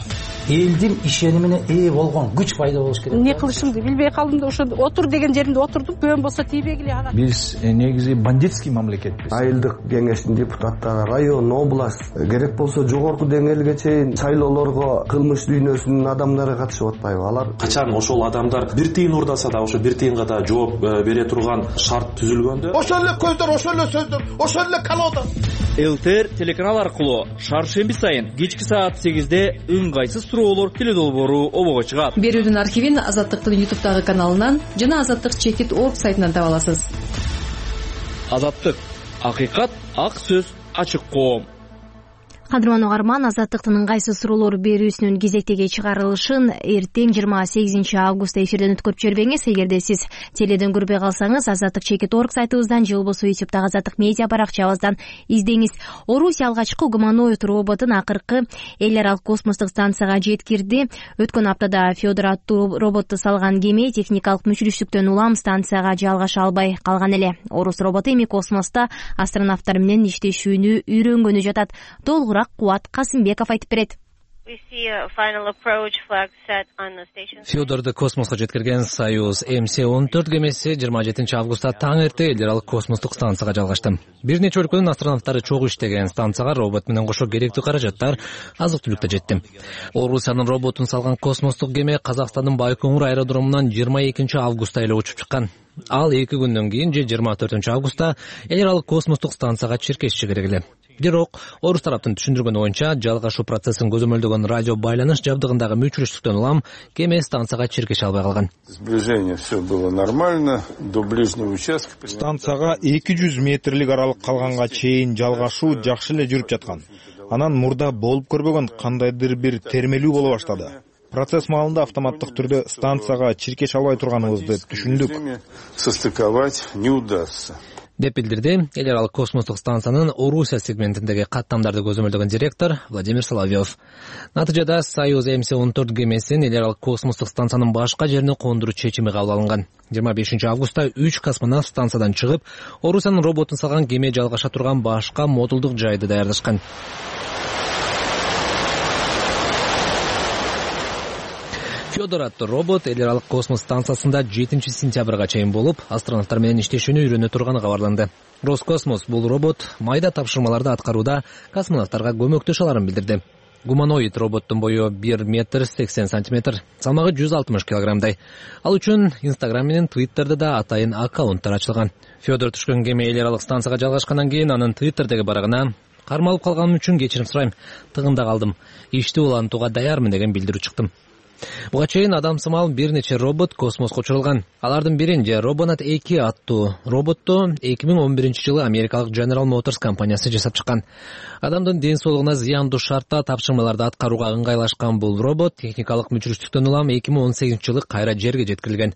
Элдин ишенимине ээ болгон күч пайда болуш керек. Эмне кылышымды билбей калдым да ошо отур деген жеримде отурдум. Көбөн болсо тийбегиле ана. Биз негизи бандитский мамлекетпиз. Айылдык кеңештин депутаттары, район, область, керек болсо жогорку деңгээлге чейин шайлоолорго кылмыш дүйнөсүнүн адамдары катышып атпайбы? Алар качан ошол адамдар бир тыйын урдаса да ошо бир тыйынга да жооп бере турган шарт түзүлгөндө, ошол эле көздөр, ошол эле сөздөр, ошол эле колода. ЛТР телеканал аркылуу шаршемби сайын кечки саат сегизде ыңгайсыз суроолор теледолбоору обого чыгат. Берүүдүн архивин Азаттыктын ютубтагы каналынан жана Азаттык чекит точка орг сайтынан таба аласыз. Азаттык, акыйкат, ак сөз, ачык коом. Кадырман угарман, Азаттыктын ыңгайсыз суроолор берүүсүнүн кезектеги чыгарылышын эртең жыйырма сегизинчи августта эфирден өткөрүп жибербеңиз. Эгерде сиз теледен көрбөй калсаңыз, Азаттык чекит точка орг сайтыбыздан же болбосо ютубтагы Азаттык медиа баракчабыздан издеңиз. Орусия алгачкы гуманоид роботун акыркы эл аралык космостук станцияга жеткирди. Өткөн аптада Федор аттуу роботту салган кеме техникалык мүчүрүштүктөн улам станцияга жалгаша албай калган эле. Орус роботу эми космосто астронавттар менен иштешүүнү үйрөнгөнү жатат. Толугураак Кубат Касымбеков айтып берет. Федорду космоско жеткирген Союз эм си он төрт кемеси жыйырма жетинчи августта таң эрте эл аралык космостук станцияга жалгашты. Бир нече өлкөнүн астронавттары чогуу иштеген станцияга робот менен кошо керектүү каражаттар, азык-түлүк да жетти. Орусиянын роботун салган космостук кеме Казакстандын Байкоңур аэродромунан жыйырма экинчи августта эле учуп чыккан. Ал эки күндөн кийин же жыйырма төртүнчү августта эл аралык космостук станцияга чиркеши керек эле. Бирок орус тараптын түшүндүргөнү боюнча жалгашуу процессин көзөмөлдөгөн радио байланыш жабдыгындагы мүчүрүштүктөн улам кеме станцияга чиркеше албай калган. Сближение все было нормально до ближнего участка. Станцияга эки жүз метрлик аралык калганга чейин жалгашуу жакшы эле жүрүп жаткан. Анан мурда болуп көрбөгөн кандайдыр бир термелүү боло баштады. Процесс маалында автоматтык түрдө станцияга чиркеше албай турганыбызды түшүндүк. Состыковать не удастся. деп билдирди эл аралык космостук станциянын Орусия сегментиндеги каттамдарды көзөмөлдөгөн директор Владимир Соловьев. Натыйжада Союз эм си он төрт кемесин эл аралык космостук станциянын башка жерине кондуруу чечими кабыл алынган. жыйырма бешинчи августта үч космонавт станциядан чыгып, Орусиянын роботун салган кеме жалгаша турган башка модулдук жайды даярдашкан. Федор аттуу робот эл аралык космос станциясында жетинчи сентябрга чейин болуп, астронавттар менен иштешүүнү үйрөнө турганы кабарланды. Роскосмос бул робот майда тапшырмаларды аткарууда космонавттарга көмөктөшө аларын билдирди. Гуманоид роботтун бою бир метр сексен сантиметр, салмагы жүз алтымыш килограммдай. Ал үчүн Инстаграм менен Твиттерде да атайын аккаунттар ачылган. Федор түшкөн кеме эл аралык станцияга жалгашкандан кийин анын Твиттердеги барагына кармалып калганым үчүн кечирим сурайм. Тыгында калдым. Ишти улантууга даярмын деген билдирүү чыктым. Буга чейин адамсымал бир нече робот космоско учурулган. Алардын бирин же Робонат эки аттуу роботту эки миң он биринчи жылы америкалык General Motors компаниясы жасап чыккан. Адамдын ден соолугуна зыяндуу шартта тапшырмаларды аткарууга ыңгайлашкан бул робот техникалык мүчүрүштүктөн улам эки миң он сегизинчи жылы кайра жерге жеткирилген.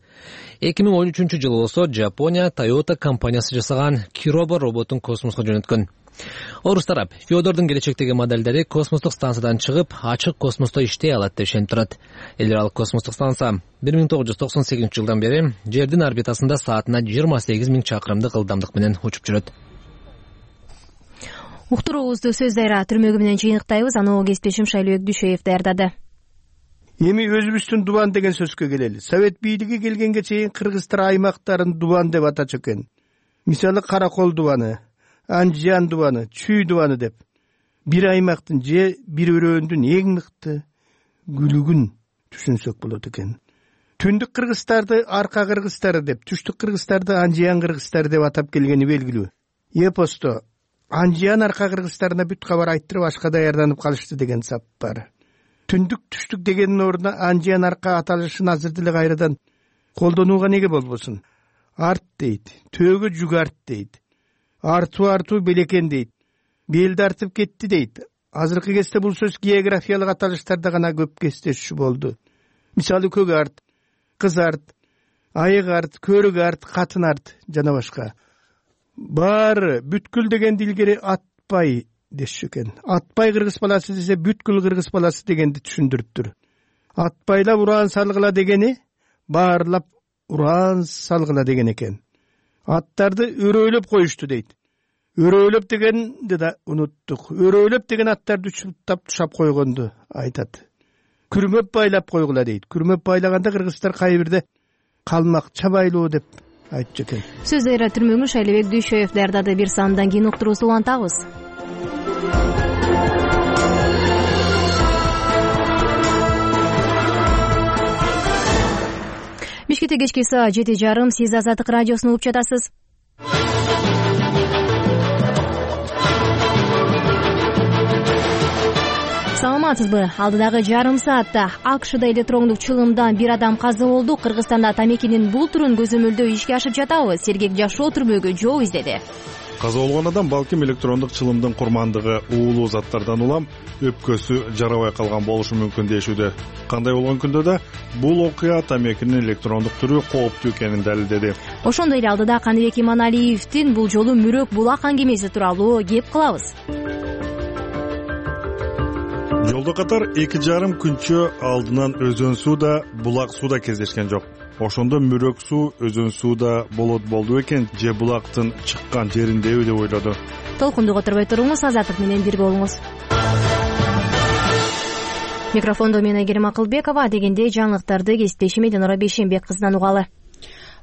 эки миң он үчүнчү жылы болсо Жапония Toyota компаниясы жасаган Kirobo роботун космоско жөнөткөн. Орус тарап Федордун келечектеги модельдери космостук станциядан чыгып, ачык космосто иштей алат деп ишенип турат. Эл аралык космостук станция бир миң тогуз жүз токсон сегизинчи жылдан бери жердин орбитасында саатына жыйырма сегиз миң чакырымдык ылдамдык менен учуп жүрөт. Уктуруубузду Сөз Дайра түрмөгү менен жыйынтыктайбыз. Аны кесиптешим Шайлообек Дүйшөев даярдады. Эми өзүбүздүн дубан деген сөзгө келели. Совет бийлиги келгенге чейин кыргызстар аймактарын дубан деп атачу экен. Мисалы Каракол дубаны, Анжан дубаны, Чүй дубаны деп. Бир аймактын же бир өрөөндүн эң мыкты күлүгүн түшүнсөк болот экен. Түндүк кыргызстарды арка кыргызстары деп, түштүк кыргызстарды Анжан кыргызстары деп атап келгени белгилүү. Эпосто Анжан арка кыргызстарына бүт кабар айттырып ашка даярданып калышты деген сап бар. Түндүк түштүк дегенин ордуна Анжан арка аталышын азыр деле кайрадан колдонууга неге болбосун? Арт дейт, төөгө жүк арт дейт. Артуу артуу белекен дейт. Белди артып кетти дейт. Азыркы кезде бул сөз географиялык аталыштарда гана көп кездешүү болду. Мисалы көк арт, кыз арт, айык арт, көрүк арт, катын арт жана башка. Баары бүткүл деген дилгери атпай дешчү экен. Атпай кыргыз баласы десе бүткүл кыргыз баласы дегенди түшүндүрүптүр. Атпайлап уран салгыла дегени баарлап уран салгыла деген экен. Аттарды өрөөлөп коюшту дейт. өрөөлөп дегенди да унуттук. Өрөөлөп деген аттарды учуптап тушап койгонду айтат. Күрмөп байлап койгула дейт. Күрмөп байлаганда кыргыздар кайбирде калмак чабайлуу деп айтчу экен. Сөздөрү түрмөгүн Шайлебек Дүйшөев даярдады. Бир саамдан кийин уктуруусу улантабыз. Бишкекте кечки саат жети жарым. Сиз Азаттык радиосун угуп жатасыз. Саламатсызбы? Алдыдагы жарым саатта АКШда электрондук чылымдан бир адам каза болду. Кыргызстанда тамекинин бул түрүн көзөмөлдөө ишке ашып жатабыз. Сергек жашоо түрмөгү жол издеди. Каза болгон адам балким электрондук чылымдын курмандыгы уулуу заттардан улам өпкөсү жарабай калган болушу мүмкүн дешүүдө. Кандай болгон күндө да бул окуя тамекинин электрондук түрү кооптуу экенин далилдеди. Ошондой эле алдыда Каныбек Иманалиевдин бул жолу Мүрөк булак аңгемеси тууралуу кеп кылабыз. Жолдо катар эки жарым күнчө алдынан өзөн суу да, булак суу да кездешкен жок. Ошондо Мүрөк суу, өзөн суу да болот болду экен, же булактын чыккан жериндеби деп ойлоду. Толкунду которбой туруңуз, Азаттык менен бирге болуңуз. Микрофондо мен Айгерим Акылбекова. Дегенде жаңылыктарды кесиптешим Эдинора Бейшенбек кызынан угалы.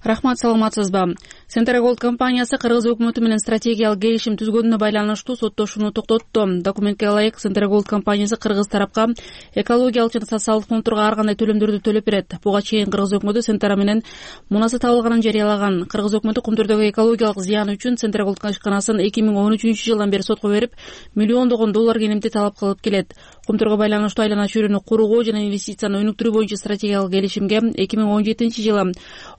Рахмат, саламатсызбы? Центрголд компаниясы Кыргыз өкмөтү менен стратегиялык келишим түзгөнүнө байланыштуу соттошууну токтотту. Документке ылайык Центрголд компаниясы кыргыз тарапка экологиялык жана социалдык фондторго ар кандай төлөмдөрдү төлөп берет. Буга чейин Кыргыз өкмөтү Центра менен мунасы табылганын жарыялаган. Кыргыз өкмөтү Кумтүрдөгү экологиялык зыяны үчүн Центрголд ишканасын эки миң он үчүнчү жылдан бери сотко берип, миллиондогон доллар кенемти талап кылып келет. Кумтүргө байланыштуу айлана чөйрөнү кургоо жана инвестицияны өнүктүрүү боюнча стратегиялык келишимге эки миң он жетинчи жылы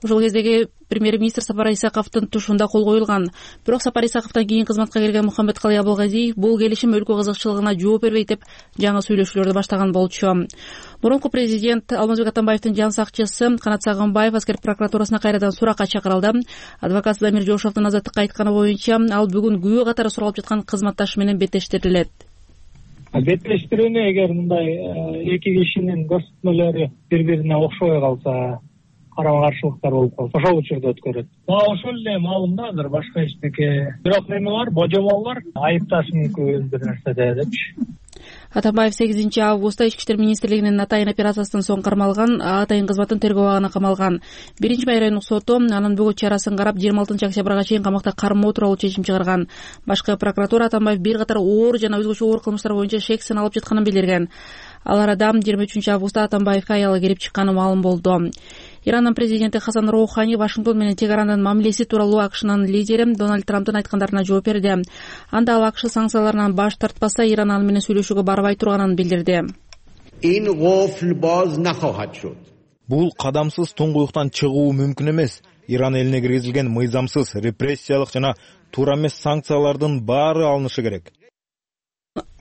ошол кездеги премьер-министр Сапар Исаковдун тушунда кол коюлган. Бирок Сапар Исаковдон кийин кызматка келген Мухаммедкалый Абылгазиев бул келишим өлкө кызыкчылыгына жооп бербейт деп жаңы сүйлөшүүлөрдү баштаган болчу. Мурунку президент Алмазбек Атамбаевдин жан сакчысы Канат Сагынбаев аскер прокуратурасына кайрадан суракка чакырылды. Адвокат Дамир Жошовдун Азаттыкка айтканы боюнча ал бүгүн күбө катары суралып жаткан кызматташы менен беттештирилет. Беттештирүүнү эгер мындай эки кишинин көрсөтмөлөрү бири-бирине окшобой калса, карама каршылыктар болуп калса, ошол учурда өткөрөт. Ошол эле маалым да, азыр башка эчтеке. Бирок эме бар, божомол бар, айыпташ мүмкүн бир нерседе депчи. Атамбаев сегизинчи августта Ички иштер министрлигинин Атайын операциясынан соң кармалган, Атайын кызматын тергөө абагына камалган. Биринчи май райондук соту анын бүгүн чарасын карап жыйырма алтынчы октябрга чейин камакта кармоо тууралуу чечим чыгарган. Башкы прокуратура Атамбаев бир катар оор жана өзгөчө оор кылмыштар боюнча шек саналып жатканын билдирген. Ал арада жыйырма үчүнчү августта Атамбаевге аялы келип чыкканы маалым болду. Ирандын президенти Хасан Роухани Вашингтон менен чегарандын мамилеси тууралуу АКШнын лидери Дональд Трамптын айткандарына жооп берди. Анда ал АКШ санкцияларынан баш тартпаса, Иран аны менен сүйлөшүүгө барбай турганын билдирди. Бул кадамсыз туңгуюктан чыгуу мүмкүн эмес. Иран элине киргизилген мыйзамсыз, репрессиялык жана туура эмес санкциялардын баары алынышы керек.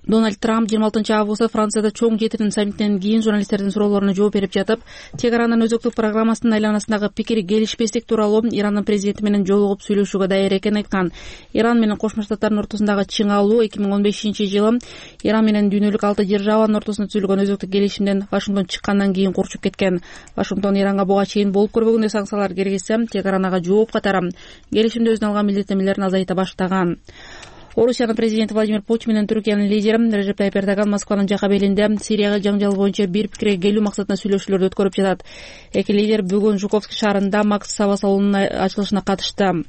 Дональд Трамп жыйырма алтынчы августта Францияда чоң жетирин саммиттен кийин журналисттердин суроолоруна жооп берип жатып, чегаранын өзөктүк программасынын айланасындагы пикир келишпестик тууралуу Ирандын президенти менен жолугуп сүйлөшүүгө даяр экенин айткан. Иран менен Кошмо Штаттардын ортосундагы чың алуу эки миң он бешинчи жылы Иран менен дүйнөлүк алты державанын ортосунда түзүлгөн өзөктүк келишимден Вашингтон чыккандан кийин курчуп кеткен. Вашингтон Иранга буга чейин болуп көрбөгөндөй санкциялар киргизсе, чегаранага жооп катары келишимде өзүнө алган милдеттенмелерин азайта баштаган. Орусиянын президенти Владимир Путин менен Түркиянын лидери Режеп Тайып Эрдоган Москванын Жакабелинде Сирияга жаңжал боюнча бир пикирге келүү максатында сүйлөшүүлөрдү өткөрүп жатат. Эки лидер бүгүн Жуковский шаарында Макс Сава салонунун ачылышына катышты.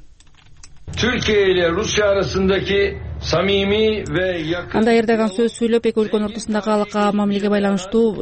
Türkiye ile Rusya arasındaki samimi ve yakın... Анда Эрдоган сөз сүйлөп, эки өлкөнүн ортосундагы алака мамилеге байланыштуу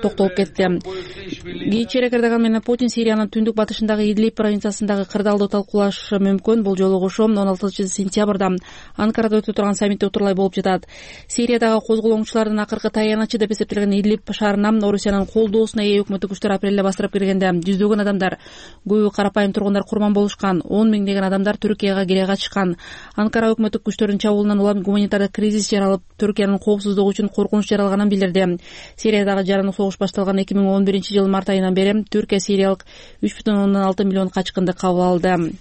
токтолуп кетти. Кийинчерээк Эрдоган менен Путин Сириянын түндүк батышындагы Идлиб провинциясындагы кырдаалды талкуулашы мүмкүн. Бул жолугушуу он алтынчы сентябрда Анкарада өтүп турган саммитте утурлай болуп жатат. Сириядагы козголоңчулардын акыркы таянычы деп эсептелген Идлиб шаарына Орусиянын колдоосуна ээ өкмөттүк күчтөр апрелде бастырып киргенде жүздөгөн адамдар, көбү карапайым тургундар курман болушкан. он миңдеген адамдар Түркияга кире качкан. Анкара өкмөттүк күчтөрүнүн чабуулунан улам гуманитардык кризис жаралып, Түркиянын коопсуздугу үчүн коркунуч жаралганын билдирди. Сириядагы жарандык согуш башталган эки миң он биринчи жылы март айынан бери Түркия сириялык үч бүтүн ондон алты миллион качкынды кабыл алды.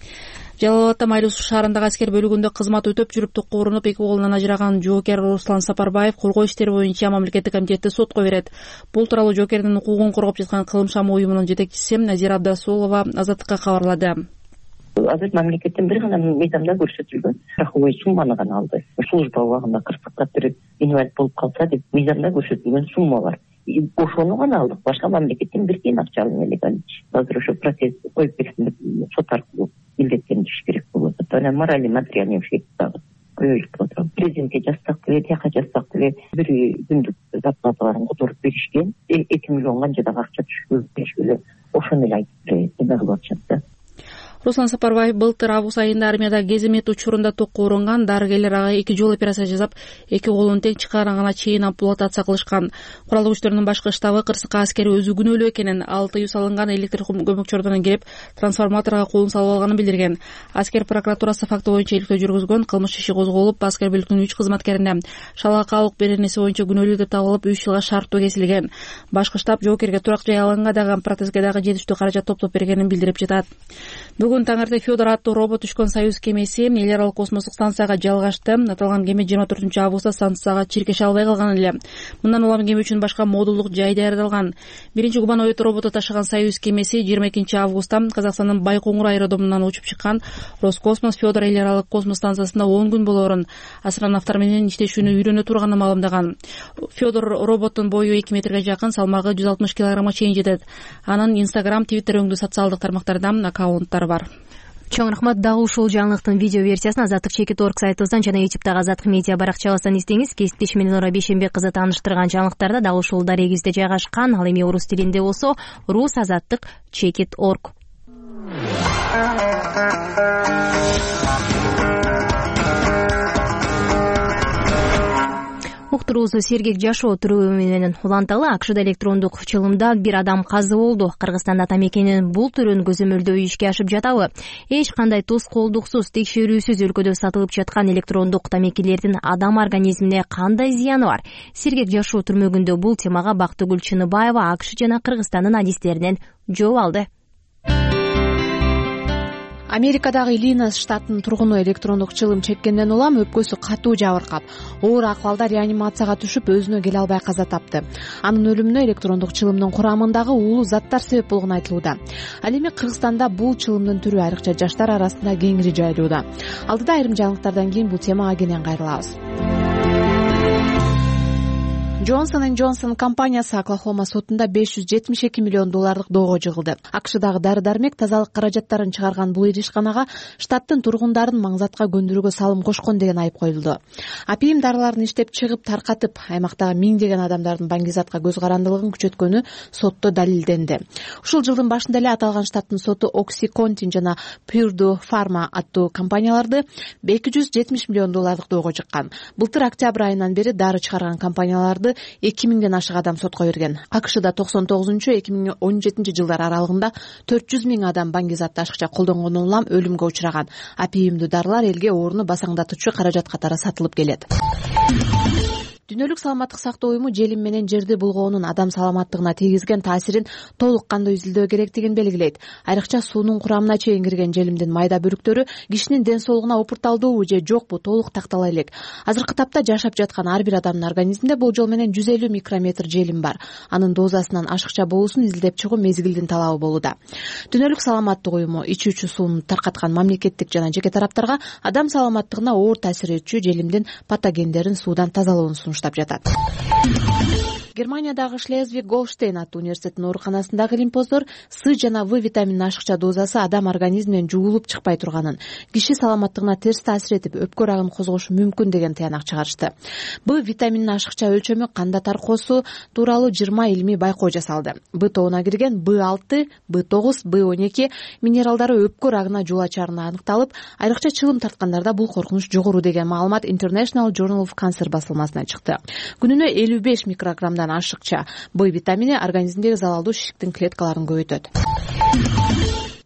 Жалал-Абадта Майлуу шаарындагы аскер бөлүгүндө кызмат өтөп жүрүп токко урунуп эки колунан ажыраган жоокер Руслан Сапарбаев коргоо иштери боюнча мамлекеттик комитетти сотко берет. Бул тууралуу жоокердин укугун коргоп жаткан Кылым Шамы уюмунун жетекчиси Назира Абдасулова Азаттыкка кабарлады. Азыр мамлекеттен бир гана мыйзамда көрсөтүлгөн страховой сумманы гана алды. Служба убагында кырсыкка кирип инвалид болуп калса деп мыйзамда көрсөтүлгөн сумма бар. Ошону гана алдык. Башка мамлекеттен бир тиен акча албай элек. Азыр ошо процесс коюп берсин деп сот аркылуу милдеттениш керек болот. Анан моральный материальный ущерб дагы көбөйүп отурат. Президентке жазсак деле, тияка жазсак деле бир күндүк зарплаталарын которуп беришкен. эки миллион канча дагы акча түшүп беришкеле. Ошону эле айтып эле кылып атышат да. Руслан Сапарбаев былтыр август айында армияда кеземет учурунда токко урунган. Дарыгерлер ага эки жолу операция жасап, эки колун тең чыгаргана чейин ампутация кылышкан. Куралдуу күчтөрдүн башкы штабы кырсыкка аскер өзү күнөөлүү экенин, ал тыюу салынган электр көмөкчөрдөн келип, трансформаторго колун салып алганын билдирген. Аскер прокуратурасы факты боюнча иликтөө жүргүзгөн. Кылмыш иши козголуп, аскер бүлүктүн үч кызматкерине шалака алык беренеси боюнча күнөөлүү деп табылып, үч жылга шарттуу кесилген. Башкы штаб жоокерге турак жай алганга дагы протезге дагы жетиштүү каражат топтоп бергенин билдирип жатат. Бүгүн таңерте Федор аттуу робот түшкөн Союз кемеси эл аралык космостук станцияга жалгашты. Аталган кеме жыйырма төртүнчү августта станцияга чиркеше албай калган эле. Мындан улам кеме үчүн башка модулдук жай даярдалган. Биринчи гуманоид роботу ташыган Союз кемеси жыйырма экинчи августта Казакстандын Байкоңур аэродромунан учуп чыккан. Роскосмос Федор эл аралык космос станциясында он күн болоорун, астронавттар менен иштешүүнү үйрөнө турганын маалымдаган. Федор роботтун бою эки метрге жакын, салмагы жүз алтымыш килограммга чейин жетет. Анын Instagram, Twitter өңдүү социалдык тармактарда аккаунттары бар. Чоң рахмат. Дагы ушул жаңылыктын видео версиясын азаттык чекит точка орг сайтыбыздан жана ютубтагы азаттык медиа баракчабыздан издеңиз. Кесиптешим менен Нора Бейшенбек кызы тааныштырган жаңылыктарда дагы ушул дарегибизде жайгашкан. Ал эми орус тилинде болсо рус азаттык чекит точка орг. Уктуруубузду сергек жашоо түрү менен уланталы. АКШда электрондук чылымда бир адам каза болду. Кыргызстанда тамекинин бул түрүн көзөмөлдөө ишке ашып жатабы? Эч кандай тоскоолдуксуз, текшерүүсүз өлкөдө сатылып жаткан электрондук тамекилердин адам организмине кандай зыяны бар? Сергек жашоо түрмөгүндө бул темага Бактыгүл Чыныбаева АКШ жана Кыргызстандын адистеринен жооп алды. Америкадагы Иллинойс штатынын тургуну электрондук чылым чеккенден улам өпкөсү катуу жабыркап, оор акыбалда реанимацияга түшүп, өзүнө келе албай каза тапты. Анын өлүмүнө электрондук чылымдын курамындагы уулуу заттар себеп болгону айтылууда. Ал эми Кыргызстанда бул чылымдын түрү айрыкча жаштар арасында кеңири жайылууда. Алдыда айрым жаңылыктардан кийин бул темага кенен кайрылабыз. Johnson энд Johnson компаниясы Оклахома сотунда беш жүз жетимиш эки миллион доллардык доого жыгылды. АКШдагы дары-дармек тазалык каражаттарын чыгарган бул иришканага штаттын тургундарын маңзатка көндүрүүгө салым кошкон деген айып коюлду. Апийим дарыларын иштеп чыгып, таркатып, аймактагы миңдеген адамдардын баңгизатка көз карандылыгын күчөткөнү сотто далилденди. Ушул жылдын башында эле аталган штаттын соту OxyContin жана Purdue Pharma аттуу компанияларды эки жүз жетимиш миллион доллардык доого жыккан. Былтыр октябрь айынан бери дары чыгарган компанияларды эки миңден ашык адам сотко берген. АКШда токсон тогузунчу эки миң он жетинчи жылдар аралыгында төрт жүз миң адам баңгизатты ашыкча колдонгондон улам өлүмгө учураган. Апийимдүү дарылар элге ооруну басаңдатуучу каражат катары сатылып келет. Дүйнөлүк саламаттык сактоо уюму желим менен жерди булгоонун адам саламаттыгына тийгизген таасирин толук кандуу изилдөө керектигин белгилейт. Айрыкча суунун курамына чейин кирген желимдин майда бөлүктөрү кишинин ден соолугуна упурталдуубу же жокпу толук тактала элек. Азыркы тапта жашап жаткан ар бир адамдын организминде болжол менен жүз элүү микрометр желим бар. Анын дозасынан ашыкча болуусун изилдеп чыгуу мезгилдин талабы болууда. Дүйнөлүк саламаттык уюму ичүүчү сууну таркаткан мамлекеттик жана жеке тараптарга адам саламаттыгына оор таасир этчү желимдин патогендерин суудан тазалоону сунуштап жатат. Германиядагы Шлезвиг-Голштейн аттуу университеттин ооруканасындагы илимпоздор С жана В витамининин ашыкча дозасы адам организминен жуулуп чыкпай турганын, киши саламаттыгына терс таасир этип, өпкө рагын козгошу мүмкүн деген таянак чыгарышты. Б витамининин ашыкча өлчөмү канда таркоосу тууралуу жыйырма илимий байкоо жасалды. Б тобуна кирген Б алты, Б тогуз, Б он эки минералдары өпкө рагына жол ачарына аныкталып, айрыкча чылым тарткандарда бул коркунуч жогору деген маалымат International Journal of Cancer басылмасына чыкты. Күнүнө элүү беш микрограммдан ашыкча Б витамини организмдеги залалдуу шиштиктин клеткаларын көбөйтөт.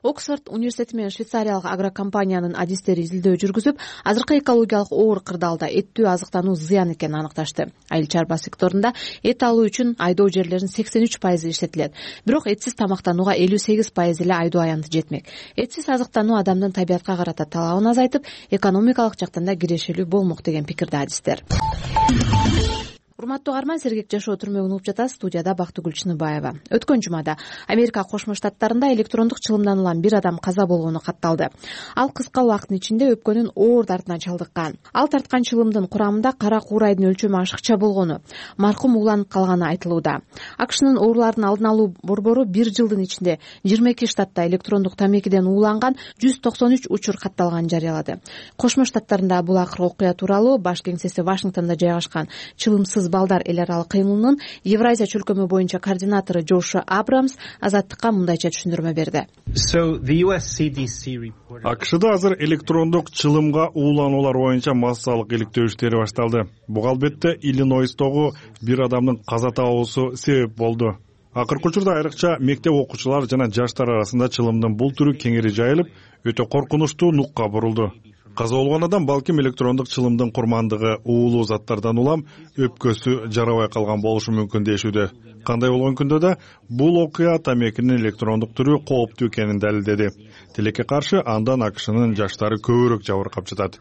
Оксфорд университети менен швейцариялык агрокомпаниянын адистери изилдөө жүргүзүп, азыркы экологиялык оор кырдаалда эттүү азыктануу зыян экенин аныкташты. Айыл чарба секторунда эт алуу үчүн айдоо жерлеринин сексен үч пайызы иштетилет. Бирок этсиз тамактанууга элүү сегиз пайыз эле айдоо аянты жетмек. Этсиз азыктануу адамдын табиятка карата талабын азайтып, экономикалык жактан да кирешелүү болмок деген пикирде адистер. урматтуу каарман, Сергек жашоо түрмөгүн угуп жатасыз. Студияда Бактыгүл Чыныбаева. Өткөн жумада Америка Кошмо Штаттарында электрондук чылымдан улам бир адам каза болгону катталды. Ал кыска убакыттын ичинде өпкөнүн оор дартына чалдыккан. Ал тарткан чылымдын курамында кара куурайдын өлчөмү ашыкча болгону, маркум ууланып калганы айтылууда. АКШнын оорулардын алдын алуу борбору бир жылдын ичинде жыйырма эки штатта электрондук тамекиден ууланган жүз токсон үч учур катталганын жарыялады. Кошмо Штаттарында бул акыркы окуя тууралуу баш кеңсеси Вашингтондо жайгашкан чылымсыз балдар эл аралык кыймылынын Евразия чөлкөмү боюнча координатору Джошу Абрамс Азаттыкка мындайча түшүндүрмө берди. АКШда азыр электрондук чылымга уулануулар боюнча массалык иликтөө иштери башталды. Буга албетте Иллинойстогу бир адамдын каза табуусу себеп болду. Акыркы учурда айрыкча мектеп окуучулар жана жаштар арасында чылымдын бул түрү кеңири жайылып, өтө коркунучтуу нукка бурулду. Каза болгон адам балким электрондук чылымдын курмандыгы уулуу заттардан улам өпкөсү жарабай калган болушу мүмкүн дешүүдө. Кандай болгон күндө да бул окуя тамекинин электрондук түрү кооптуу экенин далилдеди. Тилекке каршы андан АКШнын жаштары көбүрөөк жабыркап жатат.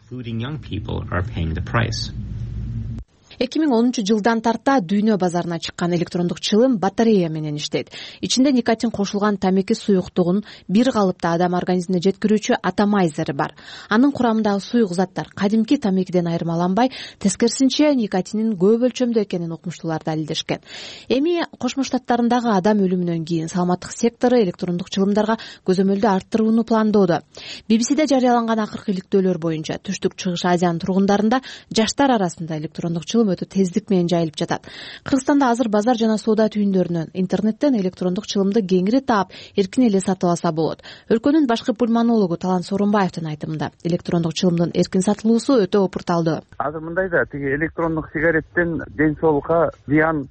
эки миң онунчу жылдан тарта дүйнө базарына чыккан электрондук чылым батарея менен иштейт. Ичинде никотин кошулган тамеки суюктугун бир калыпта адам организмине жеткирүүчү атомайзери бар. Анын курамындагы суюк заттар кадимки тамекиден айырмаланбай, тескерисинче никотиндин көп өлчөмдө экенин окумуштуулар далилдешкен. Эми Кошмо Штаттарындагы адам өлүмүнөн кийин саламаттык сектору электрондук чылымдарга көзөмөлдү арттырууну пландоодо. би би си-де жарыяланган акыркы иликтөөлөр боюнча Түштүк Чыгыш Азиянын тургундарында жаштар арасында электрондук чылым өтө тездик менен жайылып жатат. Кыргызстанда азыр базар жана соода түйүндөрүнөн, интернеттен электрондук чылымды кеңири таап, эркин эле сатып алса болот. Өлкөнүн башкы пульмонологу Талан Сооронбаевдин айтымында, электрондук чылымдын эркин сатылуусу өтө опурталдуу. Азыр мындай да, тиги электрондук сигареттен ден соолукка зыян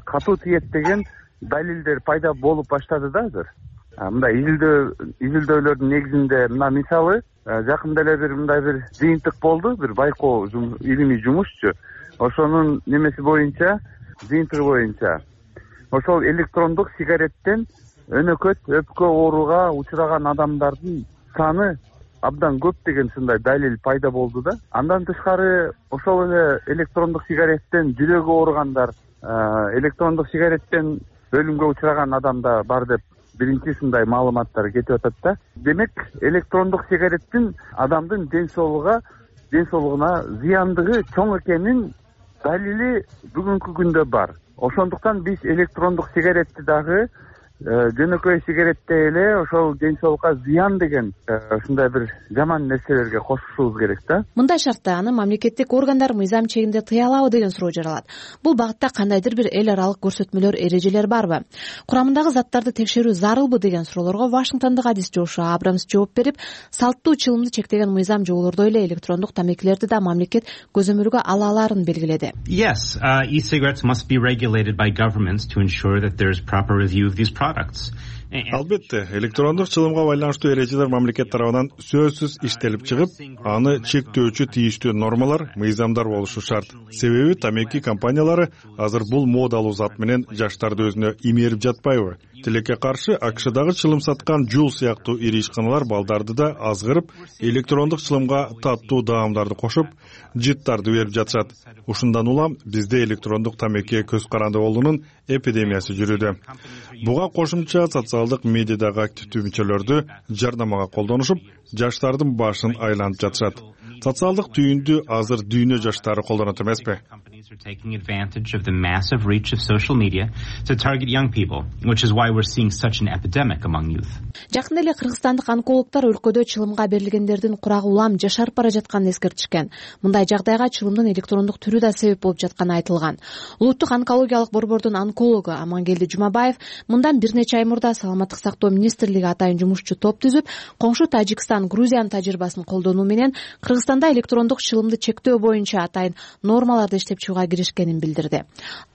катуу тиет деген далилдер пайда болуп баштады да азыр. Мындай изилдөө изилдөөлөрдүн негизинде мына мисалы жакында эле бир мындай бир жыйынтык болду, бир байкоо илимий жумушчу. Ошонун немеси боюнча, жыйынтыгы боюнча, ошол электрондук сигареттен өнөкөт өпкө ооруга учураган адамдардын саны абдан көп деген ушундай далил пайда болду да. Андан тышкары ошол эле электрондук сигареттен жүрөгү ооругандар, электрондук сигареттен өлүмгө учураган адамдар бар деп биринчи ушундай маалыматтар кетип атат да. Демек, электрондук сигареттин адамдын ден соолугуна ден соолугуна зыяндыгы чоң экенин далили бүгүнкү күндө бар. Ошондуктан биз электрондук сигаретти дагы жөнөкөй сигареттей эле ошол ден соолукка зыян деген ушундай бир жаман нерселерге кошушубуз керек да. Мындай шартта аны мамлекеттик органдар мыйзам чегинде тыя алабы деген суроо жаралат. Бул багытта кандайдыр бир эл аралык көрсөтмөлөр, эрежелер барбы? Курамындагы заттарды текшерүү зарылбы деген суроолорго Вашингтондук адис Джошу Абрамс жооп берип, салттуу чылымды чектеген мыйзам жоболордой эле электрондук тамекилерди да мамлекет көзөмөлгө ала аларын белгиледи. Yes, uh, e-cigarettes must be regulated by governments to ensure that there is proper review of these products. Албетте, электрондук чылымга байланыштуу эрежелер мамлекет тарабынан сөзсүз иштелип чыгып, аны чектөөчү тийиштүү нормалар, мыйзамдар болушу шарт. Себеби тамеки компаниялары азыр бул модалуу зат менен жаштарды өзүнө имерип жатпайбы? Тилекке каршы АКШдагы чылым саткан Жул сыяктуу ири ишканалар балдарды да азгырып, электрондук чылымга таттуу даамдарды кошуп, жыттарды берип жатышат. Ушундан улам бизде электрондук тамекиге көз каранды болуунун эпидемиясы жүрүүдө. Буга кошумча социалдык медиадагы активдүү мүчөлөрдү жардамага колдонушуп, жаштардын башын айланып жатышат. Социалдык түйүндү азыр дүйнө жаштары колдонот эмеспи? Are taking advantage of the massive reach of social media to target young people, which is why we're seeing such an epidemic among youth. Жакында эле кыргызстандык онкологдор өлкөдө чылымга берилгендердин курагы улам жашарып бара жатканын эскертишкен. Мындай жагдайга чылымдын электрондук түрү да себеп болуп жатканы айтылган. Улуттук онкологиялык борбордун онкологу Амангелди Жумабаев мындан бир нече ай мурда Саламаттык сактоо министрлиги атайын жумушчу топ түзүп, коңшу Тажикстан, Грузиянын тажрыйбасын колдонуу менен Кыргызстанда электрондук чылымды чектөө боюнча атайын нормаларды иштеп чыгууга киришкенин билдирди.